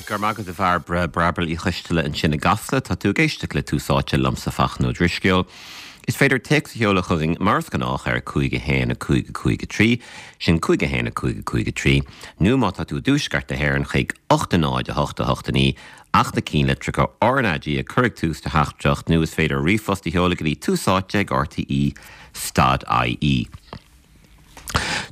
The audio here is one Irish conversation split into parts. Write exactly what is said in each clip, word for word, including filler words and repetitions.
Go raibh maith agat a Bhairbre, Bairbre Uí Choisteala ansin i gCasla. Tá tú ag éisteacht le Tús Áite liomsa Fachtna Ó Drisceoil. Is féidir téacs a sheoladh chugainn mar is gnách ar cúig a haon a cúig a cúig a trí, sin cúig a haon a cúig a cúig a trí, nó má tá tú i dtuaisceart na hÉireann chuig ocht a náid a hocht a hocht a naoi ach na ceannlitreacha R N A G a chur ag tús do theachtaireacht nó is féidir ríomhphost a sheoladh go dtí túsáite ag R T E dot I E.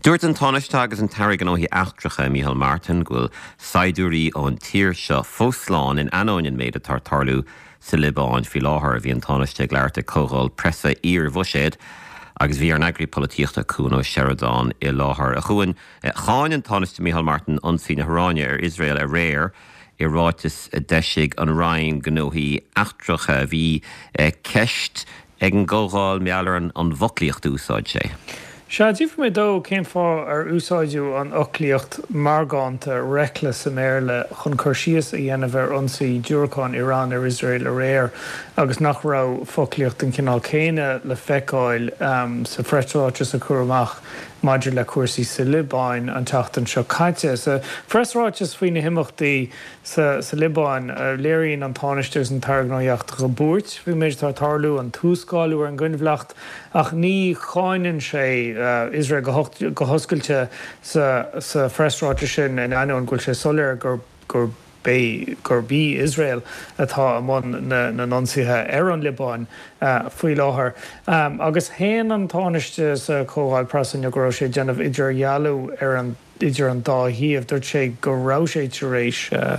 Dúirt an Tánaiste agus an tAire Gnóthaí Eachtracha Micheál Martin go bhfuil saighdiúirí ón tír seo fós slán in ainneoin an méid atá ag tarlú sa Liobáin faoi láthair. Bhí an Tánaiste ag labhairt ag comhdháil preasa iar-bhuiséid agus bhí ár n-eagraí polaitíochta Cuan Ó Seireadáin i láthair. A Chuain, cháin an Tánaiste Micheál Martin ionsaí na hIaráine ar Iosrael aréir i ráiteas a d'eisigh an Roinn Gnóthaí Eachtracha. Bhí ceist ag an gcomhdháil maidir leis an an bhfoclaíocht a úsáid sé. Sea, d'fhiafraigh mé dó cén fáth ar úsáideadh an fhoclaíocht meargánta "reckless" sa mBéarla chun cur síos a dhéanamh ar ionsaí diúracán Iran ar Iosrael aréir agus nach raibh foclaíocht den chineál céanna le feiceáil um, sa phreasráiteas a cuireadh amach maidir le cúrsaí sa Liobáin an tseachtain seo caite. Sa phreasráiteas faoi na himeachtaí sa, sa Liobáin uh, léiríonn an Tánaiste agus an tAire Gnóthaí Eachtracha buairt faoin méid atá ag tarlú, an t-uascálú ar an gcoinbhleacht, ach ní cháineann sé uh, Iosrael go, go hoscailte sa, sa phreasráiteas sin in ainneoin go bhfuil sé soiléir gur gur bé gurb í Iosrael atá i mbun na n-ionsaithe ar an Liobáin uh, faoi láthair. Um, agus shéan an Tánaiste sa chomhdháil preasa go raibh sé ag déanamh idirdhealú ar an idir an dá thaobh. Dúirt sé go raibh sé tar éis uh,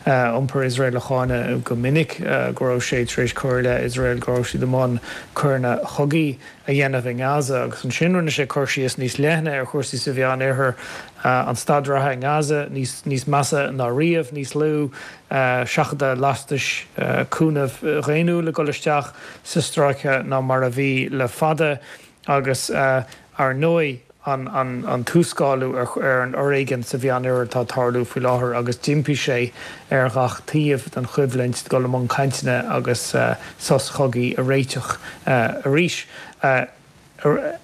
uh, iompar Iosrael a cháineadh go minic uh, go raibh sé tar éis cur le Iosrael go raibh siad i mbun coireanna cogaidh a dhéanamh in Gaza agus ansin rinne sé cur síos níos leithne ar chúrsaí sa Mheánoirthear uh, an staid reatha in Gaza níos, níos measa ná riamh, níos lú uh, seachadadh lastais uh, cúnamh daonnúil ag dul isteach sa stráice ná mar a bhí le fada agus uh, ar ndóigh an, an, an t-uascálú ar, ar an fhoréigean sa Mheánoirthear atá ag tarlú faoi láthair agus d'impigh sé ar gach taobh den choimhlint dul i mbun cainteanna agus uh, sos cogaidh a réiteach uh, arís. Uh,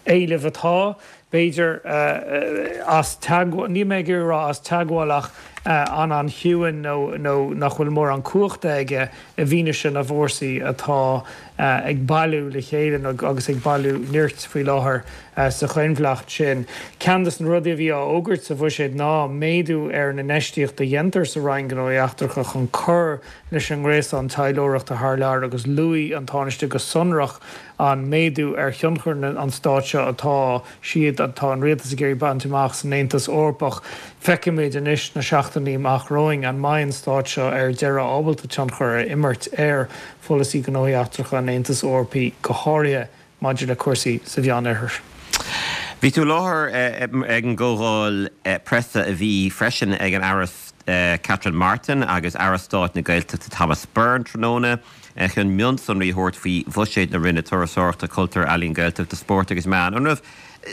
éileamh atá b'fhéidir uh, as ní mé rá as teagmháil ach uh, an an chiúin nó, nó nach bhfuil mórán cumhachta aige i bhfianaise na bhfórsaí atá uh, ag bailiú le chéile agus ag bailiú nirt faoi láthair uh, sa choinbhleacht sin. Ceann de na rudaí a bhí á fhógairt sa bhuiséad ná méadú ar na hinfheistíocht a dhéantar sa Roinn Gnóthaí Eachtracha chun cur leis an ngréasán taidhleoireachta thar lear agus luaigh an Tánaiste go sonrach an méadú ar thionchar an stáit seo atá siad atá an rialtas ag iarraidh baint amach san Aontas Eorpach. Feicfimid anois na seachtainí amach romhainn an mbeidh an stát seo ar deireadh ábalta tionchar a imirt ar pholasaí gnóthaí eachtracha an Aontais Eorpaigh, go háirithe maidir le cúrsaí sa Mheánoirthear. Bhí tú i láthair ag an gcomhdháil preasa a bhí freisin ag an Aire Catherine Martin agus Aire Stáit na Gaeltachta Thomas Byrne tráthnóna chun mionsonraí a thabhairt faoi bhuiséad na Roinne Turasóireachta, Cultúir, Ealaíon, Gaeltachta, Spóirt agus Meán. An raibh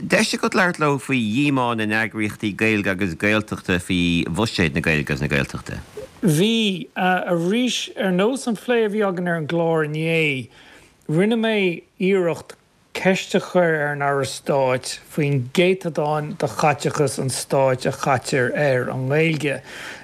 deis agat labhairt leo faoi dhíomá na n-eagraíochtaí Gaeilge agus Gaeltachta faoi bhuiséad na Gaeilge agus na Gaeltachta? Bhí arís ar nós an phlé a bhí againn ar an gclár inné, rinne mé iarracht ceist a chur ar an Aire Stáit faoin gcéatadán de chaiteachas an stáit a chaitear ar an nGaeilge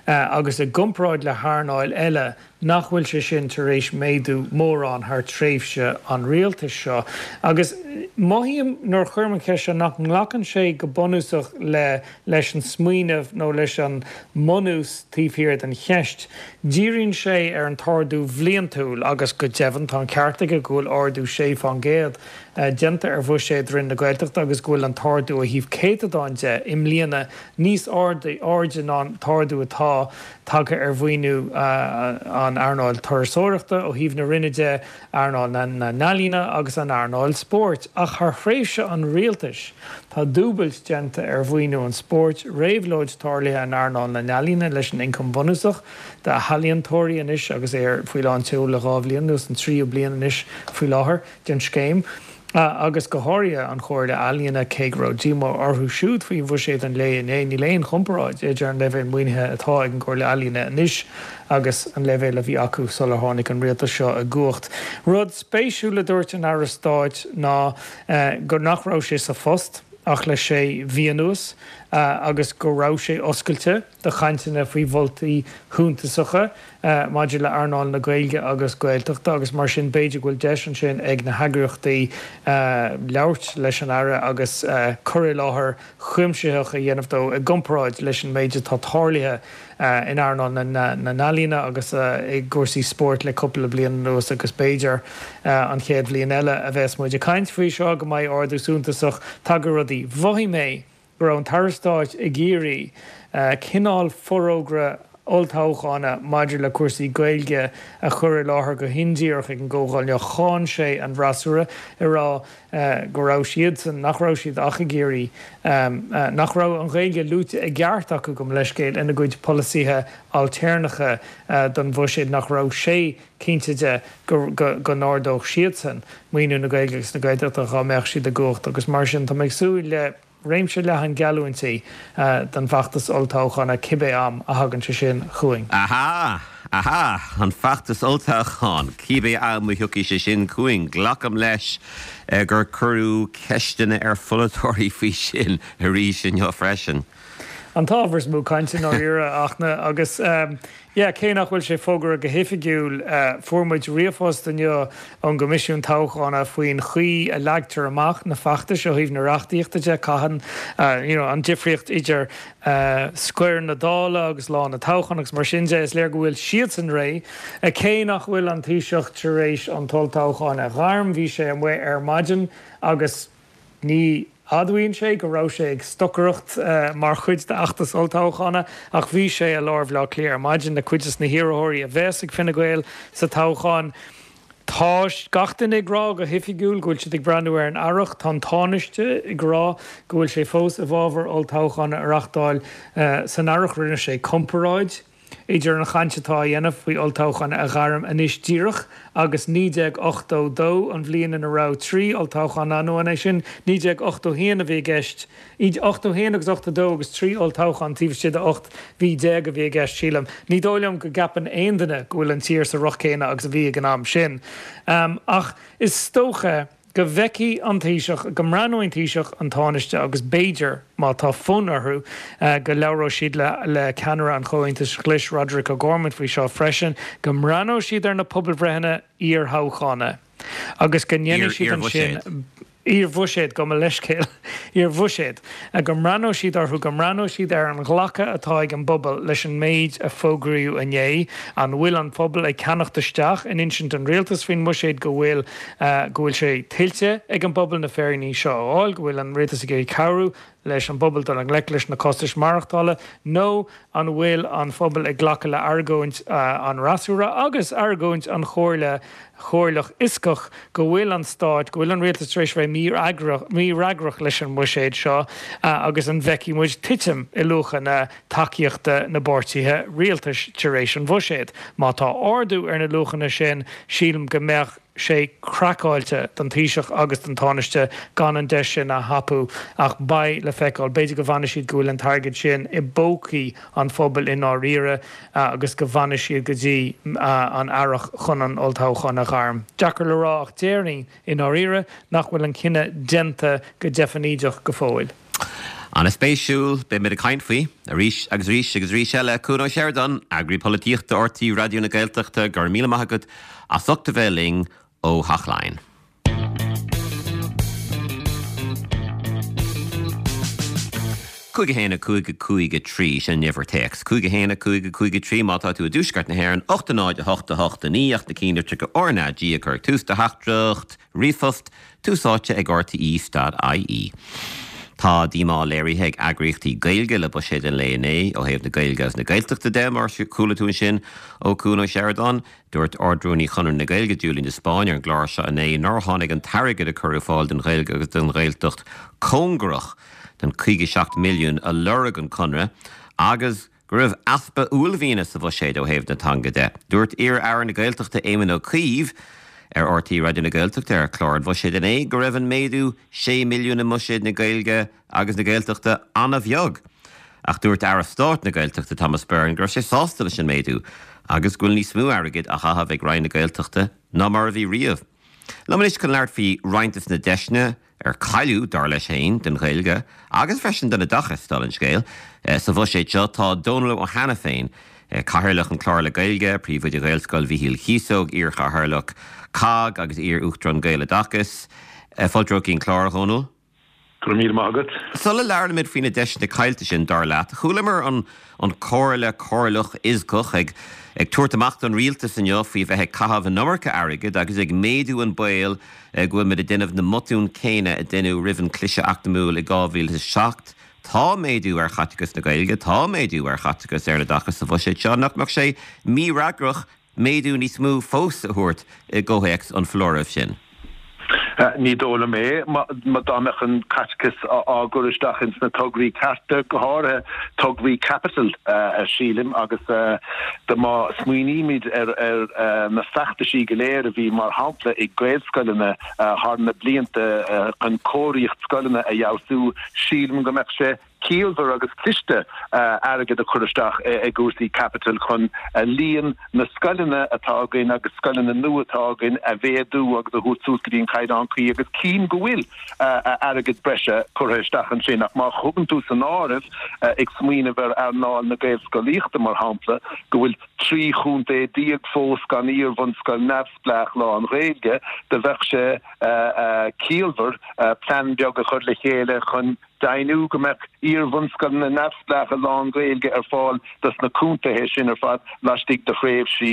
agus i gcomparáid le hearnáil eile nach bhfuil sé sin tar éis méadú mórán thar tréimhse an rialtais seo. Agus mothaím nuair a chuirim an cheist nach nglacann sé go bunúsach le leis an smaoineamh nó leis an mbunús taobh thiar den cheist. Díríonn sé ar an t-ardú bliantúil agus go deimhin tá an ceart aige go bhfuil ardú sé faoin gcéad déanta ar bhuiséad Roinn na Gaeltachta agus go bhfuil an t-ardú ó thaobh céatadáin de i mbliana níos airde ná an t-ardú atá tagtha ar mhaoiniú an earnáil turasóireachta ó thaobh na Roinne de, earnáil na n-ealaíon agus an earnáil spóirt, ach thar thréimhse an rialtais tá dúbailt déanta ar mhaoiniú an spóirt, réabhlóid tarlaithe in earnáil na n-ealaíon leis an ioncam bunúsach d'ealaíontóirí anois agus é faoi lán tseoil le dhá bhliain anuas, an tríú bliain anois faoi láthair den scéim. Agus go háirithe an Chomhairle Ealaíon, cé go raibh díomá orthu siúd faoi bhuiséad an lae inné, níl aon chomparáid idir an leibhéal maoinithe atá ag an gComhairle Ealaíon anois agus an leibhéal a bhí acu sular tháinig an rialtas seo i gcumhacht. Rud spéisiúil a dúirt an Aire Stáit ná gur nach raibh sé sa phost ach le sé mhí anuas agus go raibh sé oscailte do chainteanna faoi mholtaí shuntasacha maidir le earnáil na Gaeilge agus Gaeltachta agus mar sin b'fhéidir go bhfuil deis ansin ag na heagraíochtaí labhairt leis an Aire agus cur i láthair chuimsitheach a dhéanamh dó i gcomparáid leis an méid atá tarlaithe in earnáil na n-ealaíona agus i gcúrsaí spóirt le cúpla bliain anuas agus b'fhéidir an chéad bhliain eile a bheas muid ag caint faoi seo go mbeidh ardú suntasach tagtha ar rudaí. Mhothaigh mé go raibh an tAire Stáit ag iarraidh cineál forógra olltoghchána maidir le cúrsaí Gaeilge a chur i láthair go hindíreach ag an gcomhdháil inniu. Cháin sé an fhreasúra ag rá go raibh siadsan, nach raibh siad ach ag iarraidh, nach raibh an Ghaeilge luaite i gceart acu, gabh mo leithscéal, ina gcuid polasaithe ailtéarnacha don bhuiséad, nach raibh sé cinnte de go go n-ardódh siadsan maoiniú na Gaeilge agus na Gaeltachta dhá mbeadh siad i gcumhacht agus mar sin tá mé ag súil le réimse leathan geallúintí don bhfeachtas olltoghcháin cibé am a thagann sé sin chugainn. Aha! Aha! An feachtas olltoghcháin, cibé am a thiocfaidh sé sin chugainn. Glacaim leis gur cuireadh ceisteanna ar pholaiteoirí faoi sin arís inniu freisin. An t-ábhar is mó cainte i ndáiríre, a Fhachtna, agus yeah, cé nach bhfuil sé fógartha go hoifigiúil, fuair muid ríomhphost inniu ón gCoimisiún Toghchána faoin chaoi a leagtar amach na feachtais ó thaobh na reachtaíochta de, cathain, you know, an difríocht idir scoir na Dála agus lá na toghchán agus mar sin de. Is léir go bhfuil siadsan réidh, cé nach bhfuil an Taoiseach tar éis an t-olltoghchán a ghairm, bhí sé amuigh ar maidin agus ní admhaíonn sé go raibh sé ag stocaireacht mar chuid d'fheachtas olltoghchána ach bhí sé i lár Bhaile Átha Cliath ar maidin le cuid des na hiarrthóirí a bheas ag Fine Gael sa toghchán. Tá gach duine ag rá go hoifigiúil go bhfuil siad ag breathnú ar an earrach. Tá an Tánaiste ag rá go bhfuil sé fós i bhfabhar olltoghchán a reáchtáil san earrach. Rinne sé comparáid idir an chaint atá á dhéanamh faoi olltoghchán a ghairm anois díreach agus naoi déag ochtó dó, an bhliain ina raibh trí olltoghchán ann, nó an é sin naoi déag ochtó haon a bhí i gceist, ochtó haon agus ochtó dó agus trí olltoghchán taobh istigh de ocht mhí déag a bhí i gceist, sílim. Ní dóigh liom go gceapann aon duine go bhfuil an tír sa riocht céanna agus a bhí ag an am sin. Ach is dócha go bhfeicfidh an Taoiseach, go mbreathnóidh an Taoiseach, an Tánaiste agus b'fhéidir, má tá fonn orthu, go labhróidh siad le ceannaire an Chomhaontais Ghlais, Roderic O'Gorman faoi seo freisin, go mbreathnóidh siad ar na pobalbhreitheanna iarthoghchána agus go ndéanfaidh siad ansin. Iar-bhuiséad, gabh mo leithscéal, iar-bhuiséad, go mbreathnóidh siad orthu, go mbreathnóidh siad ar an ghlacadh atá ag an bpobal leis an méid a fógraíodh inné. An bhfuil an pobal ag ceannacht isteach in insint an rialtais faoin mbuiséad go bhfuil, go bhfuil sé tuillte ag an bpobal na féiríní seo a fháil, go bhfuil an rialtas ag iarraidh cabhrú leis an bpobal dul i ngleic leis na costais maireachtála, nó an bhfuil an phobal ag glacadh le argóint an fhreasúra agus argóint an Chomhairle Chomhairleach Fhioscach go bhfuil an stát, go bhfuil an rialtas tar éis bheith mífhreagrach leis an mbuiséad seo agus an bhfeicfidh muid titim i luachanna tacaíochta na bpáirtithe rialtais tar éis an bhuiséid? Má tá ardú ar na luachanna sin, sílim go mbeadh sé craiceáilte don Taoiseach agus don Tánaiste gan an deis sin a thapú ach beidh le feiceáil. B'fhéidir go bhfanfaidh siad go bhfuil an t-airgead sin i bpócaí an phobail i ndáiríre agus go bhfanfaidh siad go dtí an earrach chun an olltoghchán a ghairm. Deacair le rá ach déarfainn i ndáiríre nach bhfuil an cinneadh déanta go deifnídeach go fóill. An-spéisiúil, beimid ag caint faoi arís agus arís agus arís eile. Cuan Ó Seireadáin, Eagraí Polaitíochta RTÉ Raidió na Gaeltachta, go raibh míle maith agat as ucht a bheith linn ó Theach Laighean. Cúig a haon a cúig a cúig a trí, sin an uimhir téacs. Cúig a haon a cúig a cúig a trí má tá tú i dtuaisceart na hÉireann, ocht a náid a hocht a hocht a naoi ach na cinnlitreacha RnaG a chur ag tús do theachtaireacht ríomhphost, Tús Áite ag RTÉ dot IE. Tá díomá léirithe ag eagraíochtaí Gaeilge le buiséad an lae inné ó thaobh na Gaeilge agus na Gaeltachta de, mar a chuala tú ansin ó Cuan Ó Seireadáin. Dúirt Ard-Rúnaí Chonradh na Gaeilge, Julian de Spáinn, ar an gclár seo inné nár tháinig an t-airgead a cuireadh ar fáil don Ghaeilge agus don Ghaeltacht cóngarach don caoga seacht milliún a lorg an Conradh agus go raibh easpa uaillmhiana sa bhuiséad ó thaobh na teanga de. Dúirt iar-aire na Gaeltachta Éamon Ó Cuív ar RTÉ Raidió na Gaeltachta ar chlár an Bhuiséid inné go raibh an méadú sé milliún i mbuiséad na Gaeilge agus na Gaeltachta an-bheag. Ach dúirt Aire Stáit na Gaeltachta Thomas Byrne go raibh sé sásta leis an méadú agus go bhfuil níos mó airgid á chaitheamh ag Roinn na Gaeltachta ná mar a bhí riamh. Liom anois chun labhairt faoi roinnt de na deiseanna ar cailleadh, dar leis féin, don Ghaeilge agus freisin don oideachas, dála an scéil. Sa bhuiséad seo tá Dónal Ó hAiniféin, Cathaoirleach an Clár le Gaeilge, Príomhoide Ghaelscoil Mhichíl Chíosóg, iar-Chathaoirleach COGG agus iar-Uachtarán Gaeloideachas. Fáilte romhat go dtí an clár, a Dhónaill. Go raibh míle maith agat. Sula labhraímid faoi na deiseanna caillte sin, dar leat, chualamar an an Comhairle Comhairleach ISGCOC ag ag tabhairt amach don rialtas inniu faoi bheith ag caitheamh an iomarca airgid agus ag méadú an baol go bhfuil muid ag déanamh na mbotún céanna a deineadh roimh an cliseadh eacnamúil i dhá mhíle is a seacht. Tá méadú ar chaiteachas na Gaeilge, tá méadú ar chaiteachas ar an oideachas sa bhuiséad seo, nach mbeadh sé mífhreagrach méadú níos mó fós a thabhairt i gcomhthéacs an foláirimh sin? Ní dóigh liom é. Má dá mbeadh an caiteachas á gcur isteach ins na tograí cearta, go háirithe tograí caipitil, sílim, agus de má smaoinímid ar na feachtaisí go léir a bhí, mar shampla, ag Gaelscoileanna thar na blianta chun cóiríocht scoileanna a fheabhsú, sílim go mbeadh sé ciallmhar agus cliste airgead a chur isteach i gcúrsaí caipitil chun líon na scoileanna atá againn agus scoileanna nua atá againn a mhéadú agus a thabhairt suas go dtí an caighdeán cuí agus cím go bhfuil airgead breise curtha isteach ansin ach má thugann tú san áireamh ag smaoineamh ar earnáil na Gaelscolaíochta mar shampla go bhfuil trí chontae déag fós gan iar-bhunscoil neamhspleách lán-Ghaeilge do bheadh sé ciallmhar plean beag a chur le chéile chun deimhniú go mbeadh iar-bhunscoileanna neamhspleácha lán-Ghaeilge ar fáil dos na contaetha sin ar fad laistigh de thréimhsí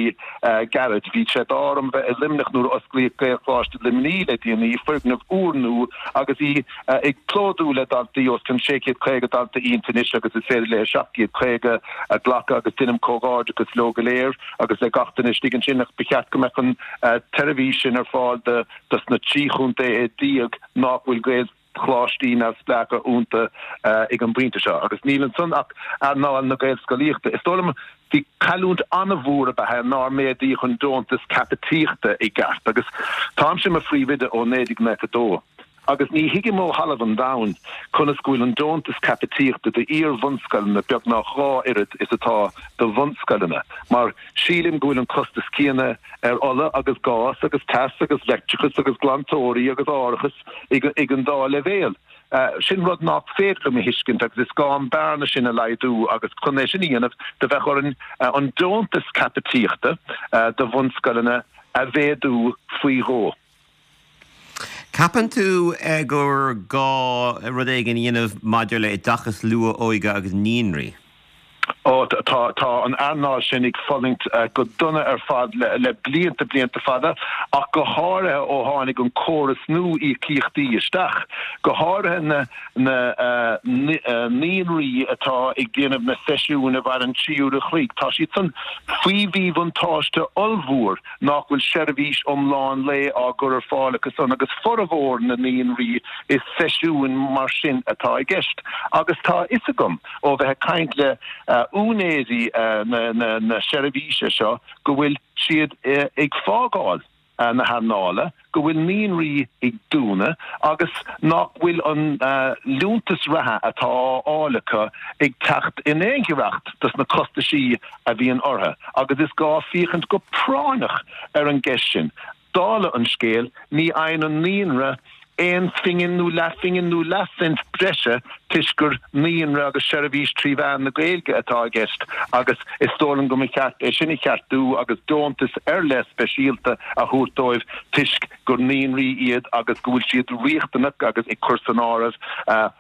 gairid. Bhí sé d'ádh orm bheith i Luimneach nuair a osclaíodh Gaelcholáiste Luimnigh le déanaí, foirgneamh úrnua agus í ag plódú le daltaí, os cionn sé chéad caoga dalta inti anois agus is féidir léi seacht gcéad caoga a ghlacadh agus deinim comhghairdeachas leo go léir agus le gach duine istigh ansin ach ba cheart go mbeadh an tseirbhís sin ar fáil dos na trí chontaetha déag nach bhfuil Gael choláistí neamhspleácha iontu ag an bpointe seo agus níl ansan ach earnáil na Gaelscolaíochta. Is dóigh liom bhí cailliúint an-mhór ab ea é nár méadaíodh an deontas caipitíochta i gceart agus táimse i mo phríomhoide ó naoi déag nócha dó agus ní thuigim ó thalamh an domhain conas go bhfuil an deontas caipitíochta d'iar-bhunscoileanna beagnach dhá oiread is atá do bhunscoileanna mar sílim go bhfuil an costas céanna ar ola agus gás agus teas agus leictreachas agus glantóirí agus árachas ag an dá leibhéal. Sin rud nach féidir liom a thuiscint agus is gá an bearna sin a laghdú agus chun é sin a dhéanamh do bheadh orainn an deontas caipitíochta do bhunscoileanna a mhéadú faoi dhó. Ceapann tú gur gá rud éigin a dhéanamh maidir le oideachas luath-óige agus naíonraí? Ó, tá, tá an earnáil sin ag fulaingt go dona ar fad le blianta, blianta fada, ach go háirithe ó tháinig an córas nua íocaíochtaí isteach, go háirithe na, na naíonraí atá ag déanamh na seisiúin a mhaireann trí uair a chloig, tá siad san faoi mhíbhuntáiste ollmhór nach bhfuil seirbhís iomlán lae á gcur ar fáil acu san agus formhór na naíonraí is seisiúin mar sin atá i gceist. Agus tá a fhios agam ó bheith ag caint le úinéirí na seirbhíse seo go bhfuil siad ag fágáil na hearnála, go bhfuil naíonraí ag dúnadh agus nach bhfuil an liúntas reatha atá á fháil acu ag teacht in aon ghiorracht dos na costaisí a bhíonn orthu agus is gá féachaint go práinneach ar an gceist sin. Dála an scéil, ní fhaigheann an naíonra aon phingin nó leathphingin nó leathcent breise toisc gur naíonra agus seirbhís trí mheán na Gaeilge atá i gceist agus is dóigh liom go mba cheart é sin a cheartú agus deontas ar leith speisialta a thabhairt dóibh toisc gur naíonraí iad agus go bhfuil siad riachtanach agus ag cur san áireamh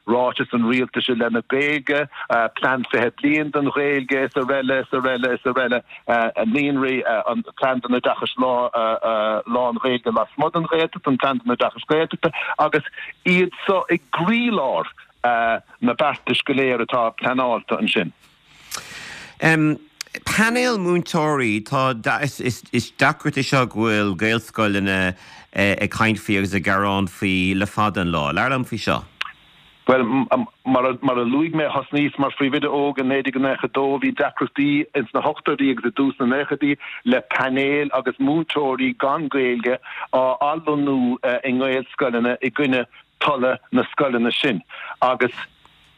ráiteas an rialtais i leith na Gaeilge, Plean Fiche Bliain don Ghaeilge is araile is araile is araile. Naíonraí, an Plean don Oideachas Lán-Ghaeilge lasmuigh den Ghaeltacht, an Plean don Oideachas Gaeltachta agus iad so i gcroílár na beartais go léir atá pleanáilte ansin. Painéal múinteoirí, tá, is deacracht é seo go bhfuil Gaelscoileanna ag caint faoi agus ag gearán faoi le fada an lá. Labhair liom faoi seo. Bhuel, mar a luaigh mé, thosnaíos mar phríomhoide óg i naoi déag nócha dó. Bhí deacrachtaí ins na hochtóidí agus i dtús na naochaidí le painéil agus múinteoirí gan Gaeilge á athlonnú i nGaelscoileanna i gcoinne tola na scoileanna sin. Agus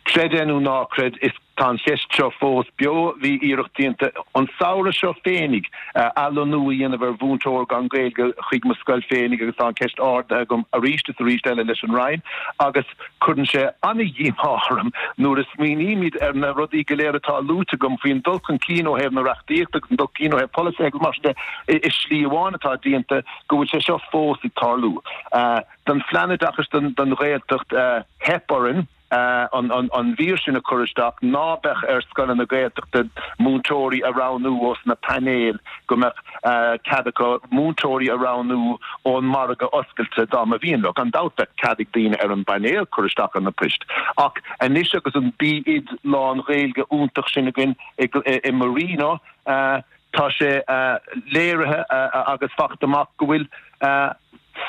creid é nó ná creid, is Tá an cheist seo fós beo. Bhí iarracht déanta an samhradh seo féinig athlonnú a dhéanamh ar mhúinteoir gan Gaeilge chuig mo scoil féinig agus tá an cheist ardaithe agam arís is arís eile leis an Roinn agus cuireann sé an-dhíomá orm nuair a smaoinímid ar na rudaí go léir atá luaite agam faoin dul chun cinn ó thaobh na reachtaíochta agus an dul chun cinn ó thaobh polasaithe agus mar sin de i slí amháin atá déanta go bhfuil sé seo fós ag tarlú. Don phlean oideachais don Ghaeltacht theip orainn an mhír sin a chur isteach, ná beadh ar scoileanna Gaeltachta múinteoirí a roghnú ós na painéil, go mbeadh cead acu múinteoirí a roghnú ón margadh oscailte dá mba mhian leo. Gan dabht bheadh cead ag daoine ar an bpainéal cur isteach ar na poist. Ach anois agus an B.Oid lán-Ghaeilge iontach sin againn i Marino, tá sé léirithe agus fachta amach go bhfuil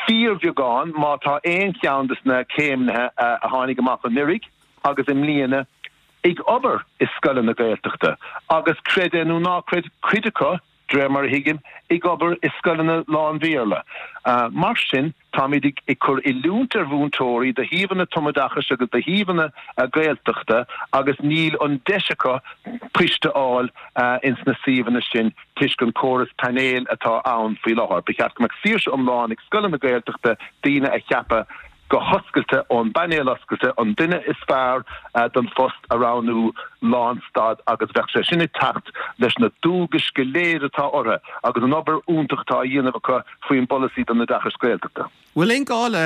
fíorbheagán, má tá aon cheann de na céimnithe a tháinig amach anuraidh agus i mbliana ag obair i scoileanna Gaeltachta, agus creid é nó ná creid, cuid acu, de réir mar a thuigim, ag obair i scoileanna lán-Bhéarla. Mar sin, táimid ag cur oiliúint ar mhúinteoirí do shuíomhanna tumoideachais agus do shuíomhanna Gaeltachta agus níl an deis acu poist a fháil ins na suíomhanna sin toisc an córas painéil atá ann faoi láthair. Ba cheart go mbeadh saoirse iomlán ag scoileanna Gaeltachta daoine a cheapadh go hoscailte ón bpainéal oscailte, an duine is fearr don phost a roghnú lánstad agus bheadh sé sin ag teacht leis na dualgais go léir atá orthu agus an obair iontach atá á dhéanamh acu faoin bpolasaí don oideachas Gaeltachta. Bhfuil aon gá le,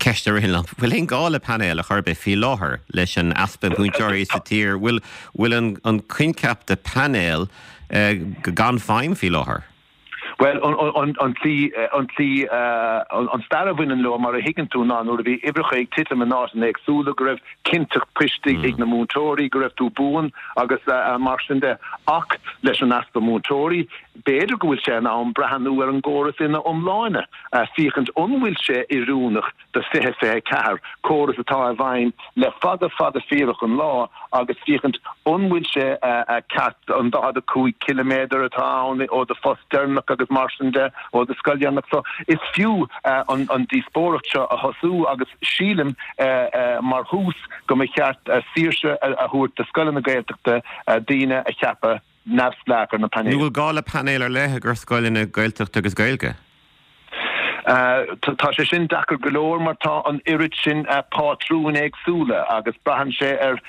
ceist a ritheann liom, bhfuil aon gá le painéal ar chor ar bith faoi láthair leis an easpa múinteoirí sa tír? Bhfuil bhfuil an an coincheap de painéal gan feidhm faoi láthair? Bhuel, an tslí, an tslí, an stair a bhaineann leo, mar a thuigeann tú, ná nuair a bhí uimhreacha ag titim in áiteanna éagsúla, go raibh cinnteacht poist ag na múinteoirí, go raibh tú buan agus mar sin de. Ach leis an easpa múinteoirí, b'fhéidir go bhfuil sé in am breathnú ar an gcóras ina iomláine, féachaint an bhfuil sé oiriúnach do fiche fiche a ceathair, córas atá i bhfeidhm le fada fada fíorach an lá, agus féachaint an bhfuil sé ceart an daichead a cúig ciliméadar atá ann ó do phost deireanach agus mar sin de, ó do scoil dheireanach. So is fiú an díospóireacht seo a thosú agus sílim mar thús go mba cheart saoirse a thabhairt do scoileanna Gaeltachta daoine a cheapadh neamhspleách ar na painéil. Nó bhfuil gá le painéal ar leith i gcomhair scoileanna Gaeltachta agus Gaeilge? Tá sé sin deacair go leor mar tá an oiread sin pátrúin éagsúla agus braitheann sé ar,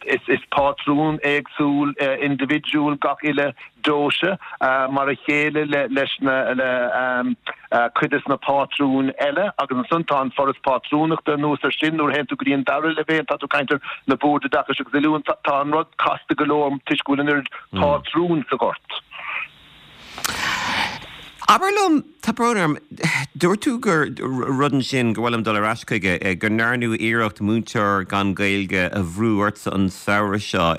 is pátrún éagsúil indibhidiúil gach uile deoise mar a chéile leis na, le cuid des na pátrúin eile agus ansan tá an Foras Pátrúnachta anuas ar sin nuair a théann tú go dtí an dara leibhéal tá tú ag caint ar na Boird Oideachais agus Oiliúna tá an rud casta go leor toisc go bhfuil an oiread pátrún sa ghort. Abair liom, tá brón orm, dúirt tú gur rud ansin go bhfuil liom dul ar ais chuige, go ndearnadh iarracht múinteoir gan Gaeilge a bhrú ortsa an samhradh seo.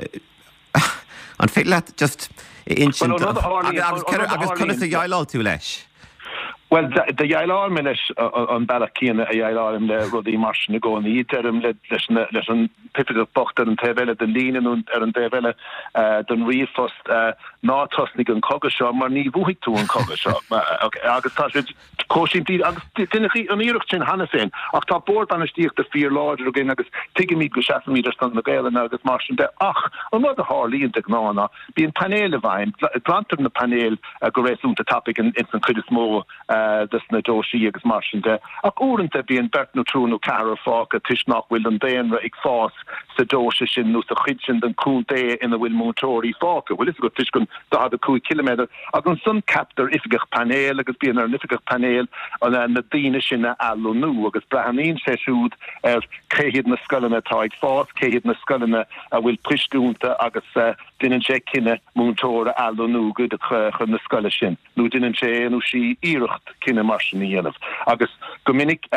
An féidir leat just insint agus conas a dhéileáil tú leis? Bhuel, do dhéileáil mé leis an bealach céanna a dhéileáilim le rudaí mar sin i gcónaí. Deirim leis an t-oifigeach bocht ar an taobh eile den líne nó ar an dtaobh eile den ríomhphost, ná tosnaigh an cogadh seo mar ní bhuafaidh tú an cogadh seo. Agus tá sé chomh simplí agus deineadh an iarracht sin cheana féin. Ach tá bord bainistíochta fíorláidir againn agus tuigimid go seasaimid ar son na Gaelainne agus mar sin de. Ach an rud a tharlaíonn de ghnáth ná bíonn painéil i bhfeidhm, glantar na painéil go réasúnta tapaidh ins an chuid is mó des na deoisí agus mar sin de. Ach uaireanta bíonn beirt nó triúr nó ceathrar fágtha toisc nach bhfuil an daonra ag fás sa deoise sin nó sa chuid sin den chontae ina bhfuil múinteoirí fágtha, bhfuil fhios agat, toisc an daichead a cúig ciliméadar. Agus ansan ceaptar oifigeach painéil agus bíonn ar an oifigeach painéil na daoine sin a athlonnú agus breathnaíonn sé siúd ar cé hiad na scoileanna atá ag fás, cé hiad na scoileanna a bhfuil poist iontu agus déanann sé cinneadh múinteoir a athlonnú chun na scoile sin nó déanann sé nó sí iarracht cinneadh mar sin a dhéanamh. Agus go minic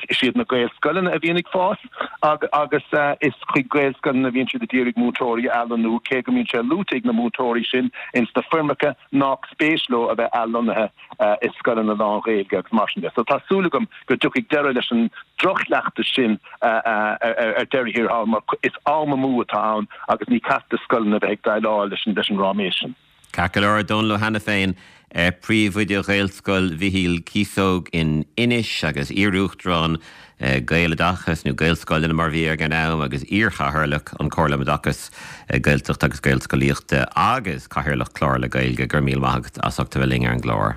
is iad na Gaelscoileanna a bhíonn ag fás agus is chuig Gaelscoileanna a bhíonn siad ag iarraidh múinteoirí a athlonnú cé go mbíonn sé luaite ag na múinteoirí sin ins na foirmeacha nach spéis leo a bheith athlonnaithe i scoileanna lán-Ghaeilge agus mar sin de. So tá súil agam go dtiocfaidh deireadh leis an droch-chleachtas sin ar deireadh thiar thall mar is am amú atá ann agus ní ceart do scoileanna bheith ag déileáil leis an ráiméis sin. Ceart go leor, a Dhónaill Ó hAiniféin, Príomhoide Ghaelscoil Mhichíl Cíosóg in Inis agus iar-uachtarán Gaeloideachas nó Gaelscoileanna mar bhí ag an am agus iarchathaoirleach an Chomhairle um Oideachas Gaeltachta agus Gaelscolaíochta agus cathaoirleach Clár le Gaeilge go raibh míle maith agat as ucht a bheith linn ar an gclár.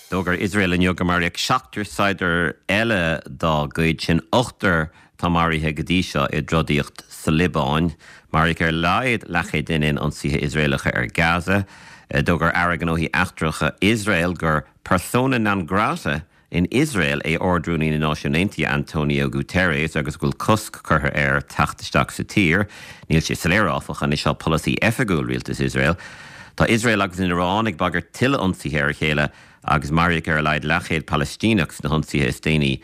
D'fhógair Iosrael inniu gur maraíodh seachtar saighdiúir eile dá gcuid, sin ochtar atá maraithe go dtí seo i dtrodaíocht sa Liobáin. Maraíodh ar a laghad leathchéad duine in ionsaithe Iosraelacha ar Gaza. D'fhógair Aire Gnóthaí Eachtracha Iosrael gur persona non grata in Iosrael é Ard-Rúnaí na Náisiún Aontaithe Antonio Guterres agus go bhfuil cosc curtha air teacht isteach sa tír. Níl sé soiléir áfach an é seo polasaí oifigiúil rialtas Iosrael. Tá Iosrael agus an Iaráin ag bagairt tuilleadh ionsaithe ar a chéile agus maraíodh ar a laghad leathchéad Palaistíneach sna hionsaithe is déanaí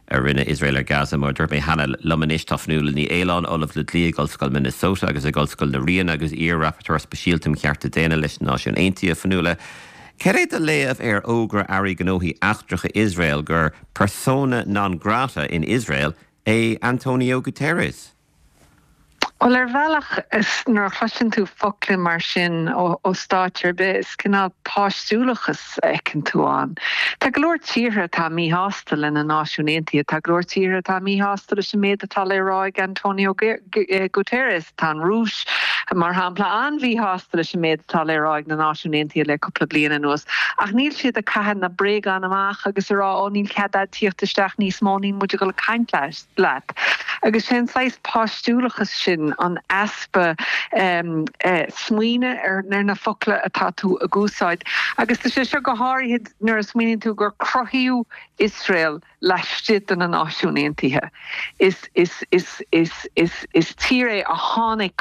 a rinne Iosrael ar Gaza. Mar a dúirt mé cheana, liom anois tá Fionnuala Ní Aoláin, Ollamh le Dlí ag Ollscoil Minnesota agus ag Ollscoil na Ríona agus iar-Rapporteur Speisialta um Chearta Daonna leis na Náisiúin Aontaithe. Fionnuala, cad é do léamh ar fhógra Airí Gnóthaí Eachtracha Iosrael gur persona non grata in Iosrael é Antonio Guterres? Bhuel, ar bhealach, nuair a chloiseann tú focla mar sin ó stáit ar bith, is cineál páistiúlachas a fheiceann tú ann. Tá go leor tíortha atá míshásta le na Náisiúin Aontaithe, tá go leor tíortha atá míshásta leis an méid atá le rá ag Antonio Guterres. Tá an Rúis, mar shampla, an-mhíshásta leis an méid atá le rá ag na Náisiúin Aontaithe le cúpla bliain anuas. Ach níl siad ag caitheamh na bréagán amach agus ag rá, 'Ó, níl cead agat tíocht isteach níos mó, níl muid ag dul ag caint leat. Agus sé an saghas páistiúlachas sin, an easpa smaoine ar na focla atá tú ag úsáid. Agus tá sé seo go háirithe nuair a smaoiníonn tú gur cruthaíodh Iosrael laistigh de na Náisiúin Aontaithe. Is is is is is is tír é a tháinig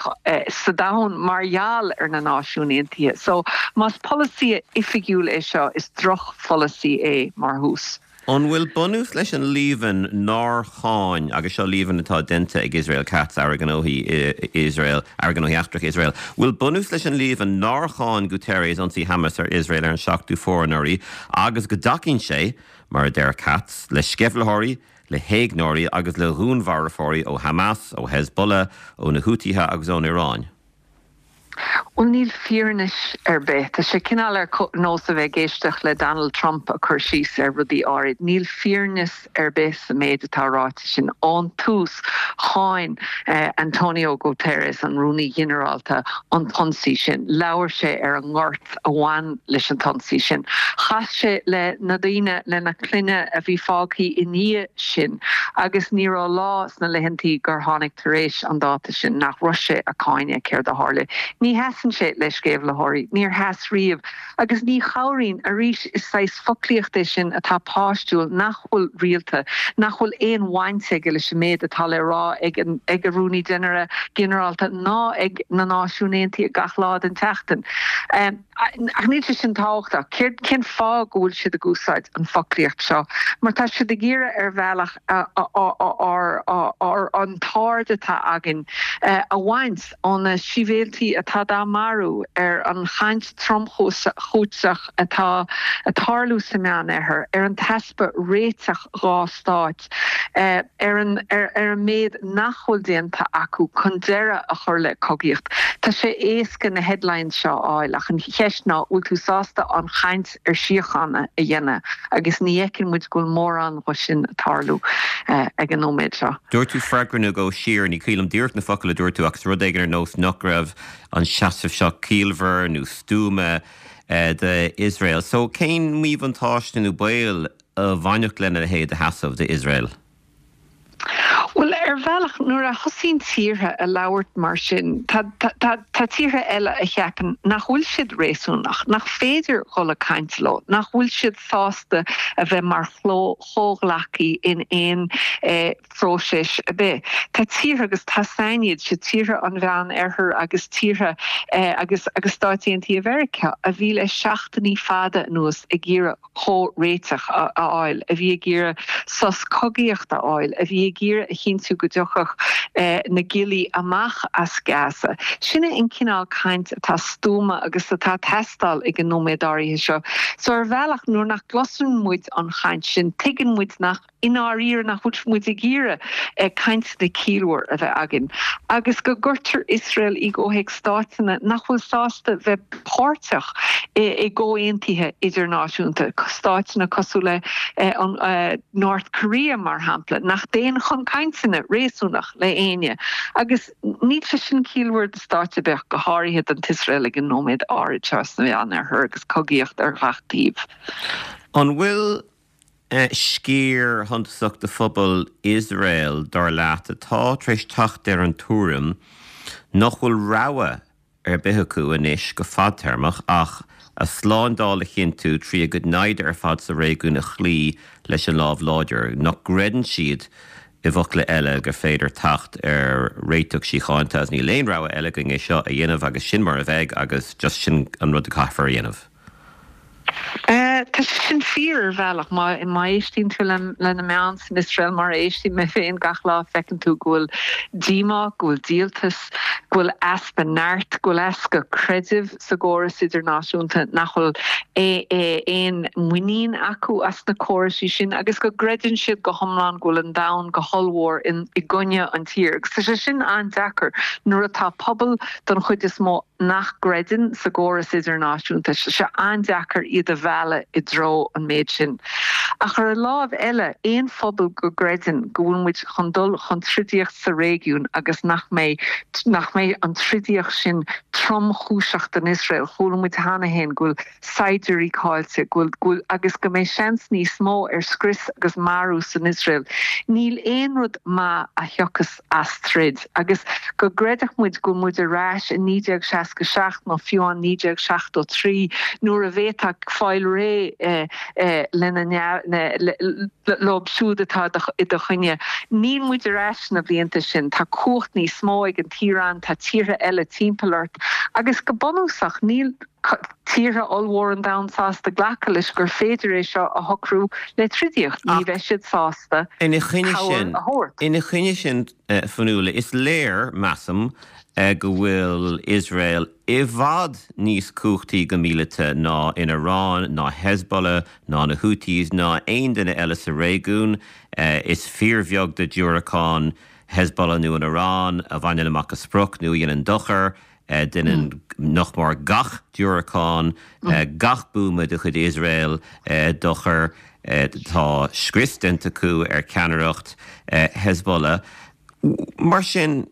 sa domhan mar gheall ar na Náisiúin Aontaithe. So más polasaí oifigiúil é seo, is drochpholasaí é mar thús. An bhfuil bunús leis an líomhain nár cháin, agus seo líomhain atá déanta ag Israel Katz, Aire Gnóthaí Iosrael, Aire Gnóthaí Eachtracha Iosrael, bhfuil bunús leis an líomhain nár cháin Guterres ionsaí Hamas ar Iosrael ar an seachtú Fómhair anuraidh agus go dtacaíonn sé, mar a deir Katz, le sceimhlitheoirí, le héigneoirí agus le dhúnmharfóirí ó Hamas, ó Hezbollah, ó na Hútaithe agus ón Iaráin? Bhuel, níl fírinne ar bith. Tá sé cineál ar nós a bheith ag éisteacht le Donald Trump ag cur síos ar rudaí áirid. Níl fírinne ar bith sa méid atá ráite sin. Ón tús, cháin Antonio Guterres, an Rúnaí Ginearálta, an t-ionsaí sin. Labhair sé ar an ngort a bhain leis an t-ionsaí sin. Chas sé le na daoine, lena gclanna a bhí fágtha i ndiaidh sin agus ní raibh lá sna laethantaí gur tháinig tar éis an dáta sin nach raibh sé ag cáineadh céard a tharla. Ní sheasann sé le sceimhlitheoirí, níor sheas riamh, agus ní chabhraíonn, arís is saghas foclaíocht é sin atá páistiúil, nach bhfuil rialta, nach bhfuil aon bhaint aige leis an méid atá le rá ag an ag an Rúnaí Ginearálta ná ag na Náisiúin Aontaithe gach lá den tseachtain. Ach níl sé sin tábhachtach. Céard, cén fáth go bhfuil siad ag úsáid an foclaíocht seo? Mar tá siad ag iarraidh ar bhealach an t-aird atá againn a bhaint ó na sibhialtaigh atá dá marú, ar an chaint tromchúiseach atá ag tarlú sa Meánoirthear, ar an t-easpa réiteach dhá stáit, ar an ar an méid nach bhfuil déanta acu chun deireadh a chur le cogaíocht. Tá sé éasca na headlines seo a fháil ach an cheist ná bhfuil tú sásta an chaint ar síochána a dhéanamh agus ní fheiceann muid go bhfuil mórán dhe sin ag tarlú ag an nóiméad seo. Dúirt tú freagra nó dhó siar, ní cuimhin liom díreach na focail a dúirt tú ach rud éigin ar nós nach raibh an seasamh seo ciallmhar nó stuama d'Iosrael. So cén míbhuntáiste nó baol a bhainfeadh lena leithéid de sheasamh d'Iosrael? Bhuel, ar bhealach, nuair a thosaíonn tíortha a labhairt mar sin, tá tíortha eile a cheapann nach bhfuil siad réasúnach, nach féidir dhul ag caint leo, nach bhfuil siad sásta a bheith mar chomhghleacaí in aon phróiseas ar bith. Tá tíortha, agus tá san iad, sé tíortha an Mheánoirthir agus tíortha agus agus Stáit Aontaithe Mheiriceá, a bhí le seachtainí fada anuas ag iarraidh comhréiteach a fháil, a bhí ag iarraidh sos cogaíochta a fháil, a bhí ag iarraidh a chinntiú go dtiocfadh na giollaí amach as Gaza. Sin é an cineál caint atá stuama agus atá ag teastáil ag an nóiméad áirithe seo. So ar bhealach, nuair nach gcloiseann muid an chaint sin, tuigeann muid nach i ndáiríre nach bhfuil muid ag iarraidh cainteanna ciallmhar a bheith againn, agus go gcuirtear Iosrael i gcomhthéacs stáiteanna nach bhfuil sásta bheith páirteach i gcomhaontuithe idirnáisiúnta, stáiteanna cosúil le an North Korea mar shampla, nach dtéann chun cainteanna réasúnach le éinne. Agus níl sé sin ciallmhar do stát ar bith, go háirithe don tIosrael ag an nóiméad áirid seo sna Meánoirthear agus cogaíocht ar gach taobh. An bhfuil sciar shuntasach de phobal Iosrael, dar leat, atá tar éis teacht ar an tuairim nach bhfuil rogha ar bith acu anois go fadtéarmach ach a slándáil a chinntiú trí a gcuid naimhde ar fad sa réigiún a chloí leis an lámh láidir, nach gcreideann siad, i bhfocla eile, gur féidir teacht ar réiteach síochánta agus níl aon rogha eile againn é seo a dhéanamh agus sin mar a bheidh agus just sin an rud a caithfear a dhéanamh? Tá sé sin fíor ar bhealach. Má éistíonn tú le na meáin san Iosrael mar a éistím mé féin gach lá, feiceann tú go bhfuil díomá, go bhfuil díoltas, go bhfuil easpa neart, go bhfuil easpa creidimh sa gcóras idirnáisiúnta, nach bhfuil aon muinín acu as na córaisí sin agus go gcreideann siad go hiomlán go bhfuil an domhan go hollmhór i gcoinne an tír. Agus tá sé sin an-deacair nuair atá pobal don chuid is mó nach gcreideann sa gcóras idirnáisiúnta, tá sé an-deacair iad a mhealladh i dtreo an méid sin. Ach ar an lámh eile, aon phobal go gcreideann go bhfuil muid chun dul chun troidaíocht sa réigiún agus nach mbeidh nach mbeidh an troidaíocht sin tromchúiseach don Iosrael, chuala muid cheana féin go bhfuil saighdiúirí caillte, go bhfuil agus go mbeidh seans níos mó ar scrios agus marú san Iosrael. Níl aon rud maith a thiocfas as troid agus go gcreidfeadh muid go bhfuil muid ar ais i naoi déag seasca seacht nó fiú amháin naoi déag seachtó trí nuair a bhféadfá fáil réidh lena leo siúd atá i do choinne. Níl muid ar ais sna blianta sin, tá cumhacht níos mó ag an tIaráin, tá tíortha eile timpeall ort agus go bunúsach níl tíortha ollmhór an domhain sásta glacadh leis gur féidir é seo a shocrú le troidaíocht. Ní bheidh siad sásta Ina choinne cabhair sin, a thabhairt. ina choinne sin, Fionnuala, is léir, measaim, go bhfuil Iosrael i bhfad níos cumhachtaí go míleata ná an Iaráin, ná Hezbollah, ná na Houthis, ná aon duine eile sa réigiún. Is fíorbheag de diúracáin Hezbollah nó an Iaráin a bhaineann amach a sprioc nó a dhéanann dochar. Déanann nach mór gach diúracán, gach buama de chuid Iosrael dochar. Tá scrios déanta acu ar cheannaireacht Hezbollah. Mar sin,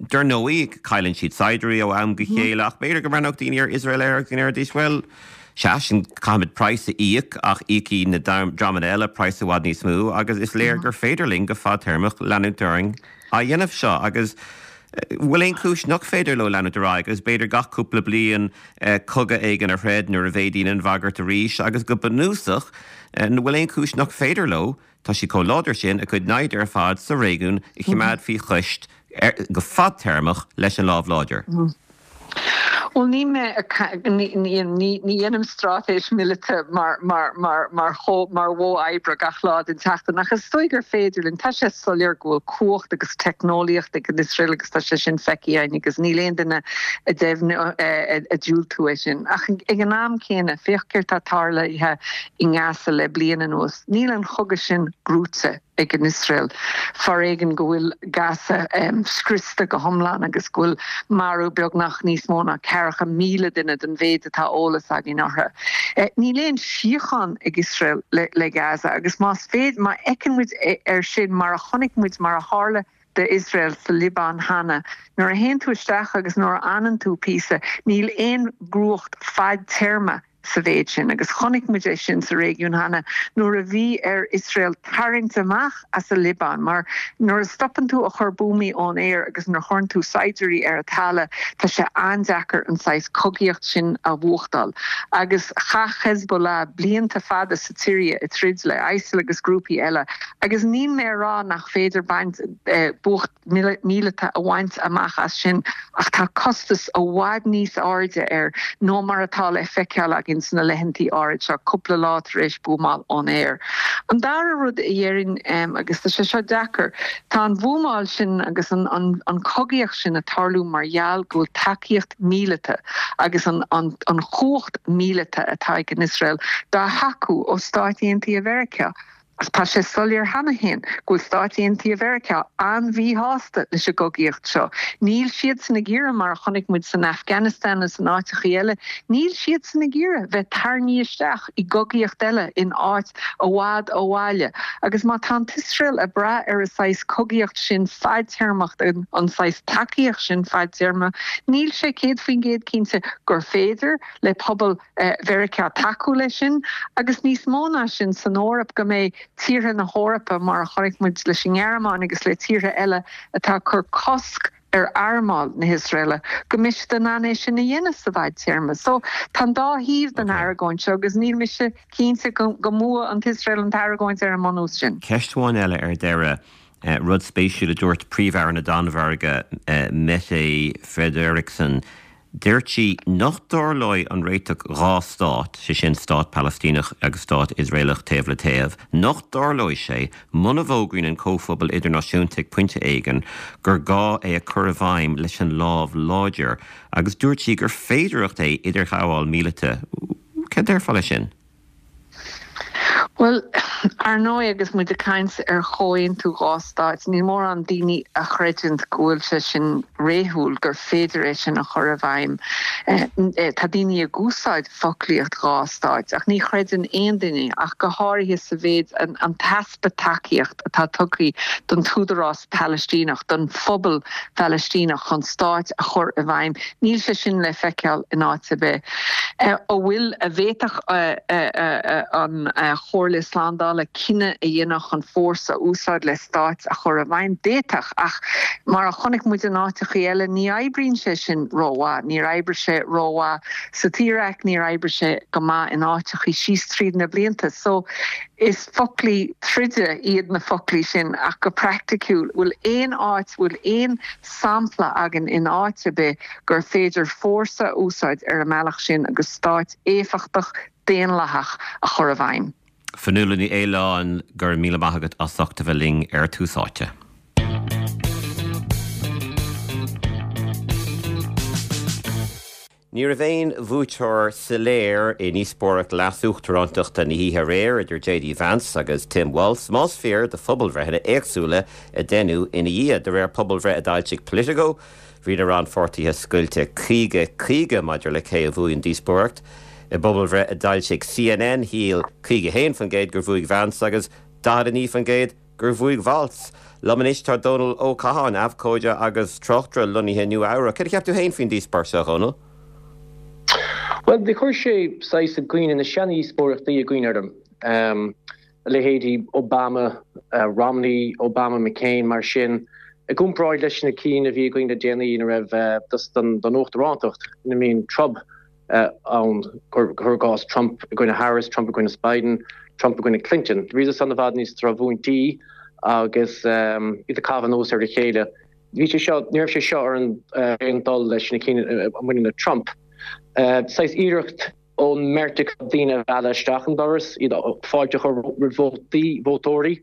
dar ndóigh, cailleann siad saighdiúirí ó am go chéile, ach b'fhéidir go mbreathnódh daoine ar Iosrael air agus go ndéarfaidís, bhuel, sea, sin, caithfimid praghas a íoc, ach íocfaidh na dreamanna eile praghas i bhfad níos mó agus is léir gur féidir linn go fadtéarmach leanúint orainn á dhéanamh seo agus bhfuil aon chúis nach féidir leo leanúint ar aghaidh agus b'fhéidir gach cúpla bliain cogadh éigin a throid nuair a mhéadaíonn an bhagairt arís agus go bunúsach an bhfuil aon chúis nach féidir leo, tá siad chomh láidir sin, a gcuid naimhde ar fad sa réigiún a choimeád faoi chois go fadtéarmach leis an lámh láidir. Bhuel, ní mé ní dhéanaim straitéis míleata mar mar mar mar mar mhodh oibre gach lá den tseachtain, ach is dóigh gur féidir linn. Tá sé soiléir go bhfuil cumhacht agus teicneolaíocht ag an Iosrael agus tá sé sin feicthe againn agus níl aon duine ag deimhniú ag diúltú é sin. Ach ag an am céanna, féach céard atá tarlaithe i nGaza le bliain anuas. Níl an chogadh sin gnóthaithe ag an Iosrael. Foréigean go bhfuil Gaza scriosta go hiomlán agus go bhfuil marú beagnach níos mó ná ceathracha míle duine den mhéid atá eolas againn orthu. Níl aon síocháin ag Iosrael le Gaza agus más féidir, má fheiceann muid air sin mar a chonaic muid mar a tharla d'Iosrael sa Liobáin cheana, nuair a théann tú isteach agus nuair a fhanann tú píosa, níl aon ghnóthach fadtéarma sa mhéid sin agus chonaic muid é sin sa réigiún cheana nuair a bhí ar Iosrael tarraingt amach as an Liobáin mar nuair a stopann tú a chur buamaí ón aer agus nuair a chuireann tú saighdiúirí ar an talamh tá sé an-deacair an saghas cogaíocht sin a bhuachtáil. Agus chaith Hezbollah blianta fada sa tSiria ag troid le ISIL agus grúpaí eile agus níl mé a rá nach féidir baint buacht míleata a bhaint amach as sin ach tá costas i bhfad níos airde air ná mar atá le feiceáil againn sna laethantaí áirid seo, cúpla lá tar éis buamáil ón aer. An dara rud a dhéarfainn, agus tá sé seo deacair, tá an bhuamáil sin agus an an chogaíocht sin ag tarlú mar gheall go bhfuil tacaíocht míleata agus an an chumhacht míleata atá ag an Iosrael dá thacú ó Stáit Aontaithe Mheiriceá. Tá sé soiléir cheana féin go bhfuil Stáit Aontaithe Mheiriceá an-mhíshásta leis an gcogaíocht seo. Níl siadsan ag iarraidh, mar a chonaic muid san Afghanistan agus in áiteachaí eile, níl siadsan ag iarraidh bheith tarraingthe isteach i gcogaíocht eile in áit i bhfad ó bhaile. Agus má tá an tIosrael ag brath ar an saghas cogaíocht sin fadtéarmach, an saghas tacaíocht sin fadtéarma, níl sé céad faoin gcéad cinnte gur féidir le pobal Mheiriceá tacú leis sin agus níos mó ná sin san Eoraip go mbeidh tíortha na hEorpa mar a chonaic muid leis an nGearmáin agus le tíortha eile atá ag cur cosc ar armáil na hIosraeile go mbeidh siad in ann é sin a dhéanamh sa bhfadtéarma. So tá an dá thaobh den argóint seo agus níl mise cinnte go mbuafaidh an tIosrael an t-argóint ar an mbunús sin. Ceist amháin eile ar deireadh. Rud spéisiúil a dúirt Príomh-Aire na Danmhairge, Mette Frederiksen, Dúirt sí nach dtarlóidh an réiteach dhá stát, sé sin stát Palaistíneach agus stát Iosraelach taobh le taobh, nach dtarlóidh sé muna bhfógraíonn an comhphobal idirnáisiúnta ag pointe éigin gur gá é a chur i bhfeidhm leis an lámh láidir agus dúirt sí gur féidearthacht é idirghabháil míleata. Cad déarfá leis sin? Bhuel, ar ndóigh agus muid ag caint ar chomhaontú dhá stáit, níl mórán daoine a chreideann go bhfuil sé sin réadúil, gur féidir é sin a chur i bhfeidhm. Tá daoine ag úsáid foclaíocht dhá stáit, ach ní chreideann aon duine, ach go háirithe sa mhéid an t-easpa tacaíocht atá tugtha don t-údarás Palaistíneach, don phobal Phalaistíneach chun stáit a chur i bhfeidhm, níl sé sin le feiceáil in áit ar bith. An bhfuil, an bhféadfadh an Chomhairle Slándála cinneadh a dhéanamh chun fórsa a úsáid le stáit a chur i bhfeidhm? D'fhéadfadh, ach mar a chonaic muid in áiteachaí eile, ní oibríonn sé sin rómhaith. Níor oibrigh sé rómhaith sa tIarác, níor oibrigh sé go maith in áiteachaí síos tríd na blianta. So, is foclaí troide iad na foclaí sin, ach go praiticiúil, bhfuil aon áit, bhfuil aon sampla againn in áit ar bith gur féidir fórsa a úsáid ar an mbealach sin agus stáit éifeachtach daonlathach a chur i bhfeidhm. Fionnuala Ní Aoláin, go raibh míle maith agat as ucht a bheith linn ar Tús Áite. Ní raibh aon bhuaiteoir soiléir i ndíospóireacht leas-uachtarántachta na hoíche aréir idir J D Vance agus Tim Walz, más fíor do phobalbhreitheanna éagsúla a deineadh ina dhiaidh. De réir pobalbhreith a d'fhoilsigh Politico, bhí na rannpháirtithe scoilte caoga caoga maidir le cé a bhuaigh an díospóireacht. I bpobalbhreith a d'fhoilsigh C N N, shíl caoga a haon faoin gcéad gur bhuaigh Vance agus daichead a naoi faoin gcéad gur bhuaigh Walz. Liom anois tá Dónal Ó Catháin, abhcóide agus tráchtaire lonnaithe i Nua Eabhrac. Céard a cheap tú féin faoin díospóireacht seo, a Dhónaill? Bhuel, do chuir sé saghas i gcuimhne, na seandíospóireachtaí i gcuimhne orm. A leithéidí Obama, Romney, Obama, McCain, mar sin, i gcomparáid leis na cinn a bhí againn le déanaí ina raibh don uachtarántacht, ina mbíonn troid ann, cuir i gcás Trump i gcoinne Harris, Trump i gcoinne Biden, Trump i gcoinne Clinton. Bhíodar san i bhfad níos tromhúintí agus iad ag caitheamh anuas ar a chéile. Bhí sé seo, ní raibh sé seo ar aon dul leis na cinn a bhaineann le Trump. Saghas iarracht ón mbeirt acu daoine a mhealladh isteach an doras, iad fáilte a chur roimh vótaí, vótóirí,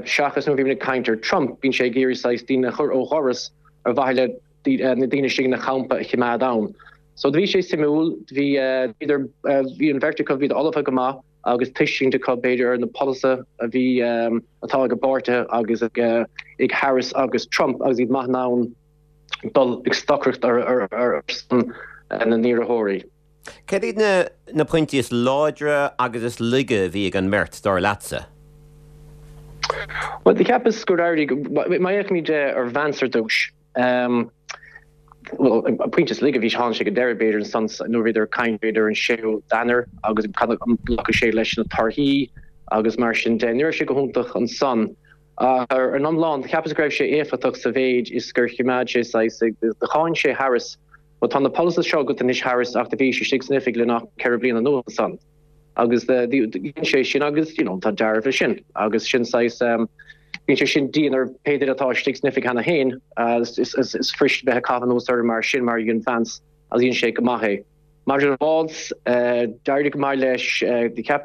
seachas nuair a bhímid ag caint ar Trump, bíonn sé ag iarraidh saghas daoine a chur ó dhoras ar mhaithe le na daoine istigh ina champa a choimeád ann. So do bhí sé suimiúil, bhí, bhíodar, bhí an bheirt acu, bhíodar ullmhaithe go maith agus tuiscint acu b'fhéidir ar na polasaithe a bhí, atá ag a bpáirtithe agus ag, ag Harris agus Trump agus iad maith in ann dul ag stocaireacht ar, ar son na n-iarrthóirí. Céard iad na, na pointí is láidre agus is laige a bhí ag an mbeirt, dar leatsa? Bhuel, do cheapas gur éirigh, má fhéachaimid ar Vance ar dtús, Bhuel, an pointe is laige, bhí, tháinig sé go deireadh, b'fhéidir, ansan nuair a bhíodar ag caint, b'fhéidir, ar an séú d'Eanáir agus cad an nglacfadh sé leis na torthaí agus mar sin de. Ní raibh sé go hiontach ansan. Ach ar an iomlán, cheapas go raibh sé éifeachtach sa mhéid is gur choimeád sé saghas, do cháin sé Harris. Bhuel, tá na polasaithe seo agat anois Harris ach do bhís istigh san oifig le nach ceithre bliana anuas ansan. Agus dhein sé sin agus, you know, tá dealramh leis sin agus sin saghas, bíonn sé sin dian ar pé duine atá istigh san oifig cheana féin, is fuirist bheith ag caitheamh anuas orthu mar sin mar a dhein Vance agus dhein sé go maith é. Maidir le Walz, d'éirigh go maith leis, cheap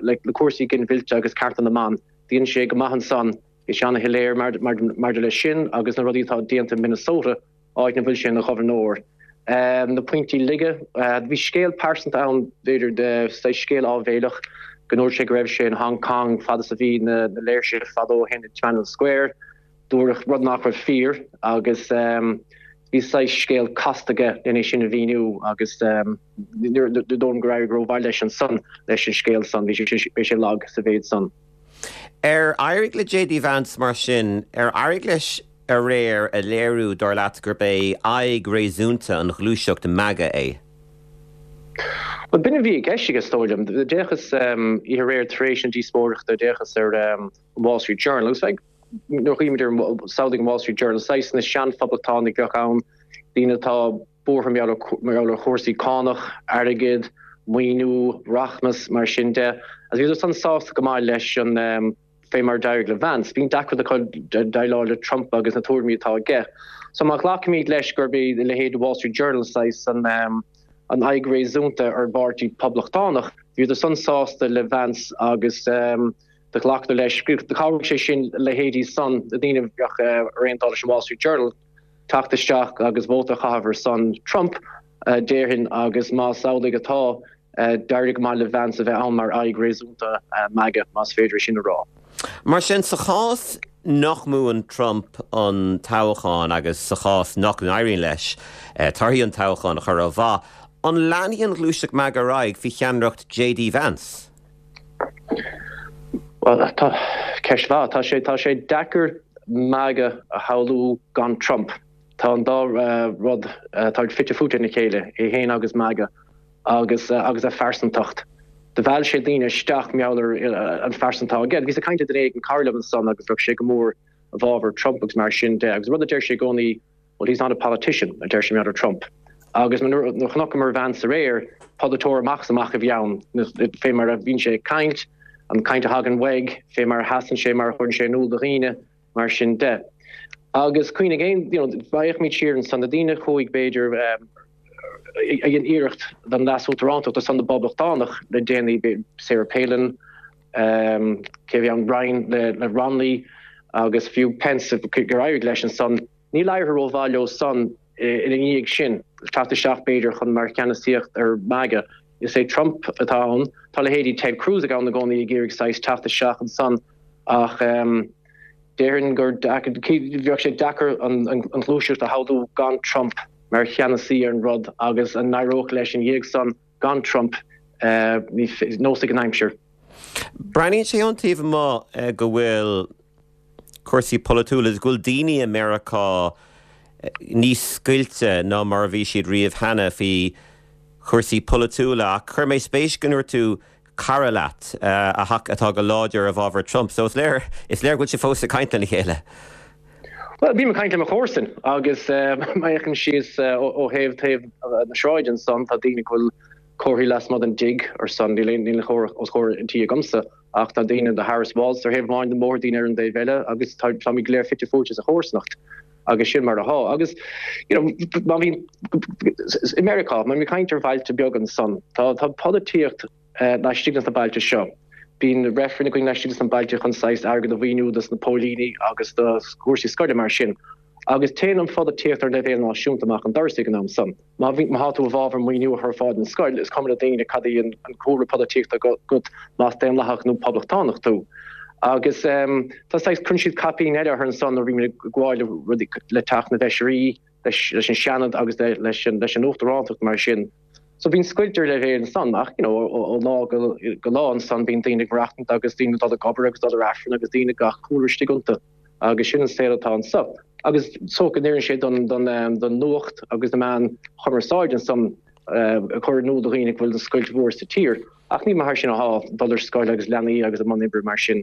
le cúrsaí ginmhillte agus cearta na mban, dhein sé go maith ansan, bhí sé ana-shoiléir maidir leis sin agus na rudaí atá déanta in Minnesota, áit ina bhfuil sé ina ghobharnóir. Na pointí laige, bhí scéal pearsanta ann, b'fhéidir, saghas scéal áibhéileach Go ndúirt sé go raibh sé in Hong Kong fad is a bhí na léirsithe fadó ó shin i Tiananmen Square, dúradh rud nach raibh fíor agus bhí saghas scéal casta aige lena é sin a mhíniú agus ní dóigh liom gur éirigh rómhaith leis ansan leis an scéal san, bhí sé lag sa mhéid san. Ar éirigh le J D Vance mar sin, ar éirigh leis aréir a léiriú dar leat gurb é aghaidh réasúnta an ghluaiseacht MAGA é? Bhuel, b'in a bhí i gceist aige, is dóigh liom. D'fhéachas oíche aréir tar éis na díospóireachta, d'fhéachas ar an Wall Street Journal agus like, nuair a chuimhnímid ar an, samhlaigh an Wall Street Journal, saghas na seanphoblachtánaigh a bheadh ann, daoine atá buartha mar gheall ar chúrsaí cánach, airgead, maoiniú, rachmas, mar sin de. Agus bhíodar san sásta go maith leis an fé mar d'éirigh le Vance. Bíonn deacracht acu déileáil le Trump agus na tuairimí atá aige. So má ghlacaimid leis gurb é a leithéid de Wall Street Journal saghas an an aghaidh réasúnta ar an bpáirtí Poblachtánach, bhíodar san sásta le Vance agus do ghlacadar leis. Do chabhraigh sé sin leithéidí san, na daoine a bheadh ar aon dul leis an Wall Street Journal, teacht isteach agus vóta a chaitheamh ar son Trump, déarfainn, agus más amhlaidh atá, d'éirigh go maith le Vance a bheith ann mar aghaidh réasúnta MAGA, más féidir é sin a rá. Mar sin, sa chás nach mbuann Trump an toghchán agus sa chás nach n-éiríonn leis torthaí an toghcháin a chur ó mhaith, an leanfaidh an ghluaiseacht MAGA ar aghaidh faoi cheannaireacht J D Vance? Bhuel, tá ceist mhaith. Tá sé, tá sé deacair MAGA a shamhlú gan Trump. Tá an dá rud, tá fite fuaite ina chéile, é féin agus MAGA agus agus a phearsantacht. Do mheall sé daoine isteach mar gheall ar an phearsan atá aige. Bhíos ag caint le duine éigin, cara liom ansan agus bheadh sé go mór i bhfabhar Trump agus mar sin de. Agus rud a deir sé i gcónaí, well he's not a politician, a deir sé mar gheall ar Trump. Agus nuair a chonaiceamar Vance aréir, polaiteoir amach is amach a bhí ann, fé mar a bhíonn sé ag caint, an chaint a thagann uaidh, fé mar a sheasann sé, mar a chuireann sé in iúl do dhaoine, mar sin de. Agus cuimhnigh aon, you know, má fhéachaimid siar ansan, na daoine a chuaigh, b'fhéidir, a dhein iarracht don leas-uachtarántacht ar son na bPoblachtánach le déanaí, Sarah Palin, cé a bhí ann, Ryan le Romney agus fiú Pence, gur éirigh leis ansan, níl éirithe rómhaith leo san ina dhiaidh sin, teacht isteach b'fhéidir chun mar cheannasaíocht ar MAGA. Is é Trump atá ann. Tá leithéidí Ted Cruz ag ann i gcónaí ag iarraidh saghas teacht isteach ansan ach déarfainn gur bheadh sé deacair an ghluaiseacht a shamhlú gan Trump mar cheannasaí ar an rud agus an n-éireodh leis ina dhiaidh san gan Trump, nós ag an aimsir. Breathnaíonn sé ón taobh amuigh go bhfuil cúrsaí polaitiúla agus go bhfuil daoine i Meiriceá níos scoilte ná mar a bhí siad riamh cheana faoi chúrsaí polaitiúla ach chuir mé spéis go ndúirt tú cara leat atá go láidir i bhfabhar Trump so is léir is léir go bhfuil sibh fós ag caint lena chéile. Bhuel, bím ag caint le mo chomharsain agus má fhéachaim síos ó thaobh taobh na sráide ansan tá daoine go bhfuil comharthaí lasmuigh den dtigh ar son, níl aon níl chomhartha os comhair an tí agamsa ach tá daoine do Harris Walz ar thaobh amháin den mbóthar, daoine ar an dtaobh eile agus táimid go léir fite fuaite sa chomharsanacht agus sin mar atá. Agus you know má bhíonn i Meiriceá, má bhíonn caint ar bhailte beaga ansan, tá tá polaitíocht laistigh de na bailte seo. Bíonn reifrinn againn laistigh de na bailte chun saghas airgead a mhaoiniú dos na póilíní agus do chúrsaí scoile mar sin. Agus téann an pholaitíocht ar leibhéal náisiúnta amach an doras ag an am san. Má bhíonn, má tá tú i bhfabhar maoiniú a chur ar fáil don scoil, is cuma le daoine cad í an cúlra polaitíochta agat, más daonlathach nó poblachtánach tú. Agus tá saghas, cuireann siad caipín eile orthu ansan nuair a bhímid ag gabháil le rudaí, le Teach na bhFeisirí, leis an Seanad agus leis an Uachtarántacht mar sin. So bíonn scoilt ar leibhéal ansan ach you know ó lá go go lá ansan bíonn daoine ag maireachtaint agus daoine ag dul ag obair agus dul ar Aifreann agus daoine gach cúlra istigh iontu agus sin an saol atá anso. Agus so go n-oireann sé don don don nuacht agus na meáin chumarsáide ansan a chur in iúl do dhaoine go bhfuil an scoilt mhór sa tír ach ní mar sin atá dul ar scoil agus leanaí agus i mbun oibre mar sin.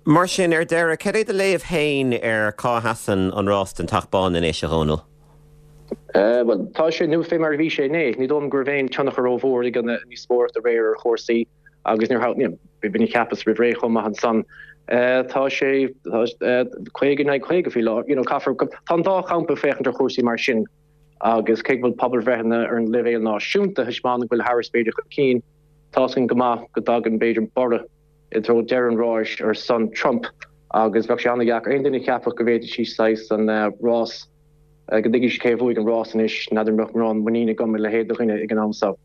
Mar sin, ar deireadh, cad é do léamh féin ar cá sheasann an rás don Teach Bán anois, a Dhónaill? Bhuel, tá sé nó fé mar a bhí sé inné. Ní dóigh liom go raibh aon tionchar rómhór ag an ndíospóireacht aréir ar chúrsaí agus níor you know, b'in a cheapas roimh ré chomh maith ansan. Tá sé caoga in aghaidh caoga faoi láthair. You know, caithfear, tá an dá champa ag féachaint ar chúrsaí mar sin agus cé go bhfuil pobalbhreitheanna ar an leibhéal náisiúnta ag taispeánadh go bhfuil Harris b'fhéidir chun cinn, tá's againn go maith go dtagann b'fhéidir borradh i dtreo deireadh an ráis ar son Trump agus bheadh sé an-dheacair aon duine a cheapfadh go bhféadfadh sí saghas an rás go dtuigfidh sí cé a bhuaigh an rás anois, n'fheadar an mbeadh mórán muiníne agam i leithéid de dhuine ag an am seo.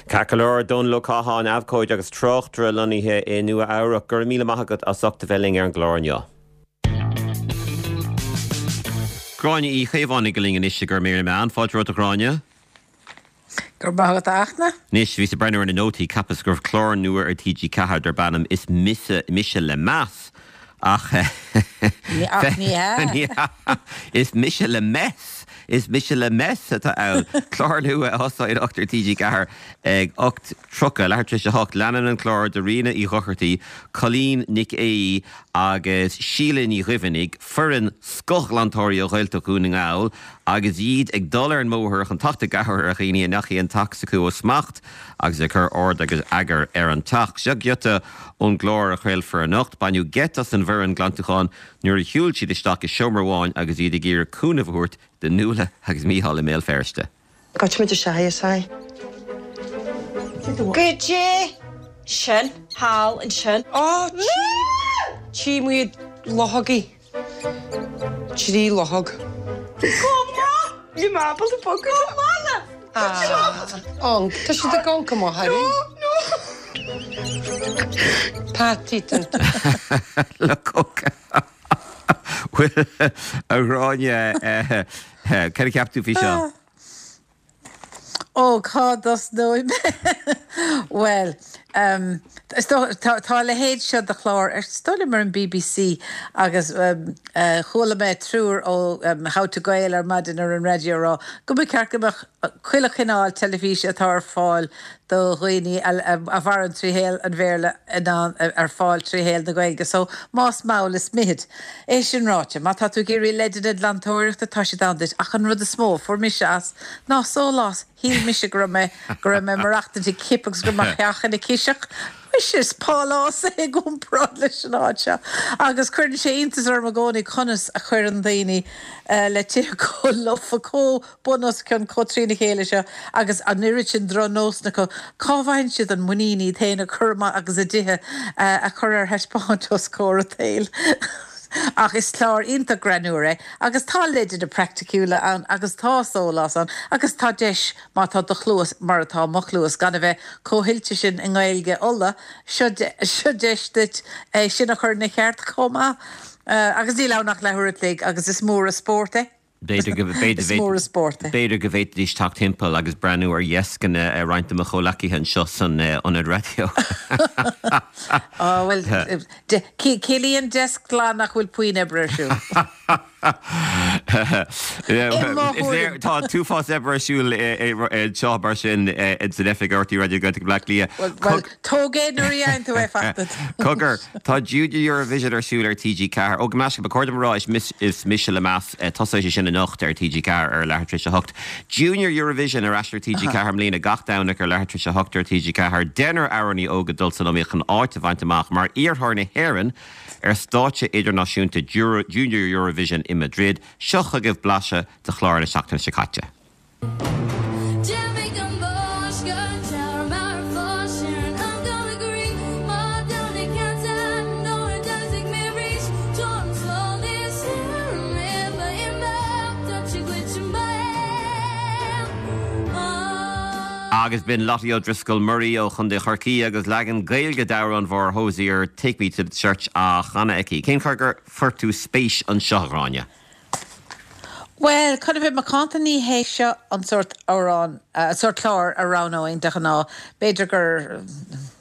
Ceart go leor, Dónal Ó Catháin, abhcóide agus tráchtaire lonnaithe i Nua Eabhrac, go raibh míle maith agat as ucht a bheith linn ar an gclár inniu. Gráinne Uí Chaomhánaigh linn anois i gcur mír na meán. Fáilte romhat a Ghráinne. Go raibh maith agat a Fhachtna. Anois, bhíos ag breathnú ar na nótaí, cheapas go raibh clár nua ar T G Ceathair darb ainm Is Mise Mise le Meas ach Ach ní hea. Is Mise le Mess! Is Mise le Mess atá ann. Clár nua a thosóidh anocht ar T G Ceathair ag ocht tríocha, leathuair tar éis a hocht. Leanann an clár de Ríona Uí Dhochartaigh, Colleen Nic Aoidh agus Síle Ní Dhuibheannaigh, foireann scothghlantóirí ó Ghaeltacht Dhún na nGall, agus iad ag dul ar an mbóthar chun teacht i gcabhair ar dhaoine a ndeachaigh an teach s'acu ó smacht agus ag cur ord agus eagar ar an teach. Seo giota ón gclár a chraolfar anocht. Baineadh geit as an bhfoireann glantúcháin nuair a shiúil siad isteach i seomra amháin agus iad ag iarraidh cúnamh a thabhairt do Nuala agus Mícheál i mBéal Feirste. Goitse isteach é. Goidé sin thall ansin. Ó tí muid luchógaí. Trí luchóg. Bhí mé ábalta bogadh. An Tá siad ag amharc amach orainn. Patty. Luchóga. Bhuel, a Ghráinne, cad a cheap tú faoi seo? Ó cá dtosnóidh mé? Well, um, tá tá a leithéid seo de chlár ar stole mar an B B C agus um, uh, chuala mé triúr ó um, How to Gael ar maidin ar an raidió rá go mba cheart go mbeadh chuile chineál teilifíse atá ar fáil do dhaoine a, a, a mhaireann trí shaol an Bhéarla in ann ar fáil trí shaol na Gaeilge, so más mall is mithid. É sin ráite, má tá tú ag iarraidh leideanna glantóireachta tá siad ann duit ach an rud is mó fuair mise as ná sólás. Shíl mise go raibh mé go raibh mé ag maireachtaint i cip agus go raibh mo theach ina ciseach. Is pálás é i gcomparáid leis an áit seo. Agus cuireann sé iontas orm i gcónaí conas a chuireann daoine uh, le tithe chomh lofa chomh bunoscionn chomh trína chéile seo agus an oiread sin drochnósanna acu cá bhfaigheann siad an muinín iad féin a chur amach agus a dtithe uh, a chur ar taispeáint os comhair an tsaoil. Ach is clár iontach greannmhar é, agus tá leideanna praiticiúla ann agus tá sólás ann agus tá deis má tá do chluas mar atá mo chluas gan a bheith chomh hoilte sin i nGaeilge Uladh seo seo deis duit é sin a chur ina cheart chomh maith. Uh, agus níl ann ach leathuair an chloig agus is mór an spórt é. B'fhéidir go Is mór an spórt é. B'fhéidir go bhféadfaidís teacht timpeall agus breathnú ar dheascanna ar roinnt de mo chomhghleacaithe anseo san ionad raidió. Oh, well, ciallaíonn deasc glan nach bhfuil puinn oibre ar siúl. Tá an t-uafás oibre ar siúl seo mar sin san oifig R T Raidió Gaeltacht Bleá Cliath. Tóg é nuair a tú é fachta. Cogar tá Junior Eurovision ar siúl ar T G Ceathair. Ó meis ba chóir rá is mise le meas tosóidh sé sin anocht ar T G Ceathair ar leathuair tar éis a hocht. Junior Eurovision ar ais ar T G Ceathair i mbliana gach Domhnach ar leathuair tar éis a hocht ar T G Ceathair. Deichniúr amhránaí óg ag dul san iomaíocht chun áit a bhaint amach mar iarrthóir na hÉireann ar stáitse idirnáisiúnta Junior Eurovision i Madrid, seo chugaibh blaiseadh de chlár na seachtaine seo caite. Jimmy Gamboshka, mar fásin I'm gonna agree má dona can't no it doesn't me reach John this you Agus b'in Lottie O'Driscoll Murray ó Chontae Chorcaí agus leagan Gaeilge d'amhrán Mháire Hozier Take Me to the Church á chanadh aici. Cén chaoi gur chuir tú spéis anseo, a Ghráinne? Well, chun a bheith macánta ní hé seo an sórt amhrán uh, sórt clár a roghnóinn de ghnáth b'fhéidir gur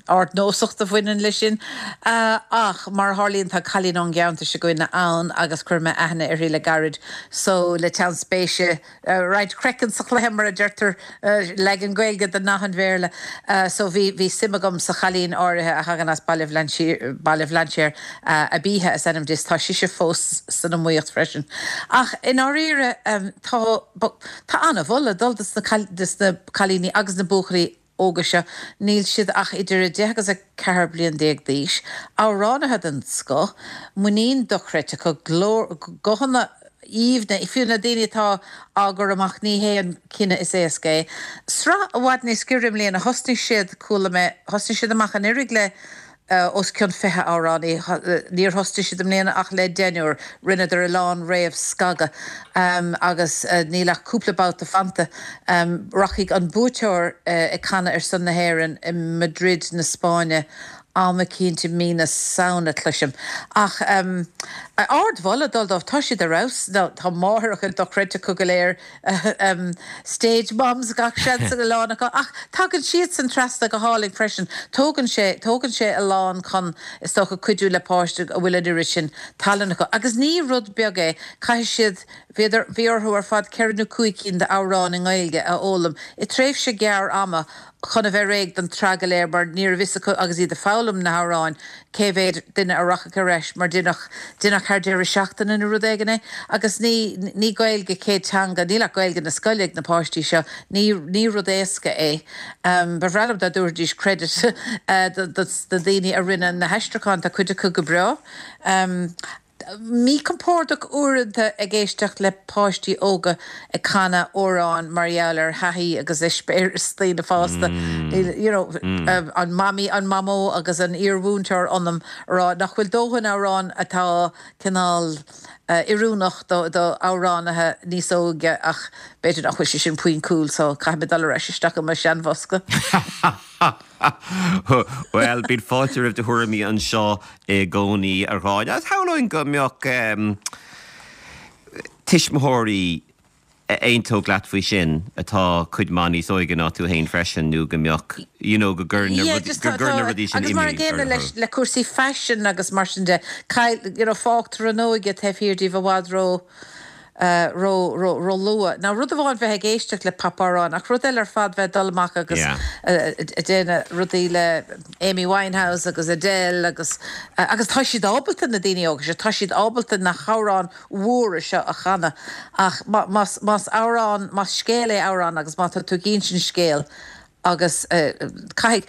ardnósacht a bhaineann leis sin. Uh, ach mar tharlaíonn tá cailín ón gceantar seo againne ann agus chuir mé aithne uirthi le gairid so le teann spéise uh, roinnt craiceann sa chluiche mar a deirtear uh, leagan Gaeilge den nath Béarla. Uh, so bhí bhí suim agam sa chailín áirithe a thagann as Baile Bhlainséir uh, a bíthe is ainm di tá sise fós san iomaíocht freisin. Ach in áiríre um, tá tá an-mholadh dul dos na cailíní agus na buachaillí óga seo níl siad ach idir a deich agus a ceathair bliain déag d'aois, amhránaithe den scoth, muinín dochreidte acu guthanna aoibhne fiú na daoine atá á gcur amach ní hé an cinneadh is éasca é. Sraith i bhfad níos giorra i mbliana thosnaigh siad chuala mé thosnaigh siad amach anuraidh le os cionn fiche amhránaí. Níor thosaigh siad i mbliana ach le deichniúr, rinneadar a lán réamhscagadh agus níl ach cúpla babhta fanta. Rachaidh an buaiteoir ag canadh ar son na hÉireann i Madrid na Spáinne am eicínt i mí na Samhna, cloisim. Ach ardmholadh ag dul dóibh, tá siad ar fheabhas. Tá máithreacha dochreidte acu go léir, stage moms gach seans ag a lán acu, ach tagann siadsan trasna go hálainn freisin. Tógann sé, tógann sé a lán chun, is dócha, cuidiú le páiste a bhfuil an oiread sin tallann acu. Agus ní rud beag é, caithfidh siad, bhíodar, bhí orthu ar fad ceithre nó cúig cinn d'amhráin i nGaeilge a fhoghlaim i tréimhse ghearr ama chun a bheith réidh don tsraith go léir mar ní raibh fhios acu agus iad ag foghlaim na hamhráin cé mhéad duine a rachadh ar ais mar deineadh deineadh thar deireadh seachtaine nó rud éigin é agus ní ní Gaeilge céad teanga níl ach Gaeilge na scoile ag na páistí seo ní ní rud éasca é. Ba bhreá liom dá dtabharfaidís credit do do do daoine a rinne na haistriúcháin tá cuid acu go breá. Míchompordach uaireanta ag éisteacht le páistí óga ag canadh amhráin mar gheall ar thaithí agus eispéireas daoine fásta. You know, an mamaí, an mamó agus an iar-mhúinteoir ionam a rá nach bhfuil dóthain amhrán atá cineál oiriúnach do do amhránaithe níos óige ach b'fhéidir nach bhfuil sé sin pointúil so caithfidh mé dul ar ais isteach i mo sheanbhosca. Bhuel, bíonn fáilte roimh do thuairimí anseo i gcónaí, a Ghráinne. Agus shamhlóinn go mbeadh tuismitheoirí a aontódh leat faoi sin, atá cuid mhaith níos óige ná tú féin freisin, nó go mbeadh, you know, go gcuireann na rudaí, go gcuireann na rudaí sin Agus mar imní an gcéanna orthu. leis, le cúrsaí faisin agus mar sin de, caill, you know, fágtar an óige taobh thiar díobh i bhfad ró, ró, ró, ró luath. Now rud amháin bheith ag éisteacht le popamhráin ach rud eile ar fad bheith ag dul amach agus Yeah. ag déanamh rudaí le Amy Winehouse agus Adele agus agus tá siad ábalta na daoine óga seo, tá siad ábalta na hamhráin mhóra seo a chanadh ach má, más, más amhrán, más scéal é amhrán agus má tá tú ag insint scéal agus caithfidh,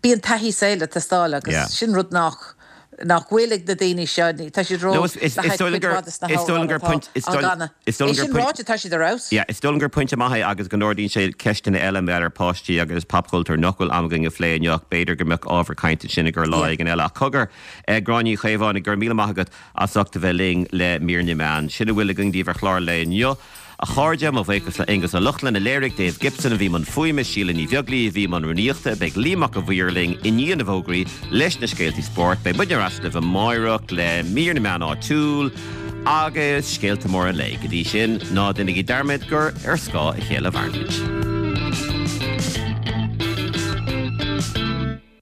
bíonn taithí saoil ag teastáil agus Yeah. sin rud nach nach bhfuil ag na daoine seo, tá siad ró No, is, is, le is haghaidh dóigh cuid gur, mhaith de na is dóigh hamhráin gur atá point, is á dóigh, gcanadh. is dóigh É gur sin point, ráite, tá siad ar fheabhas. Yeah, is dóigh gur pointe maith é agus go n-ardaíonn sé ceisteanna eile mar ar páistí agus popchultúr nach bhfuil am againn a phlé inniu, b'fhéidir go mbeadh ábhar cainte sin ag ar lá Yeah. éigin eile. Ach cogar eh, Gráinne Uí Chaomhánaigh, go raibh míle maith agat as ucht a bheith linn le mír na meán. Sin a bhfuil againn daoibh ar chlár an lae inniu. A chairde, mo bhuíochas le Aonghus Ó Lochlainn a léirigh, Dave Gibson a bhí i mbun fuaime, Síle Ní Bheaglaoí a bhí i mbun rúnaíochta, beidh Liam Mac a' Mhaoir linn i ndiaidh na bhfógraí leis na scéaltaí spóirt. Beidh muidne ar ais libh amáireach le mír na meán áitiúil agus scéalta móra an lae. Go dtí sin, ná déanaigí dearmad gur ar scáth a chéile a mhairimid.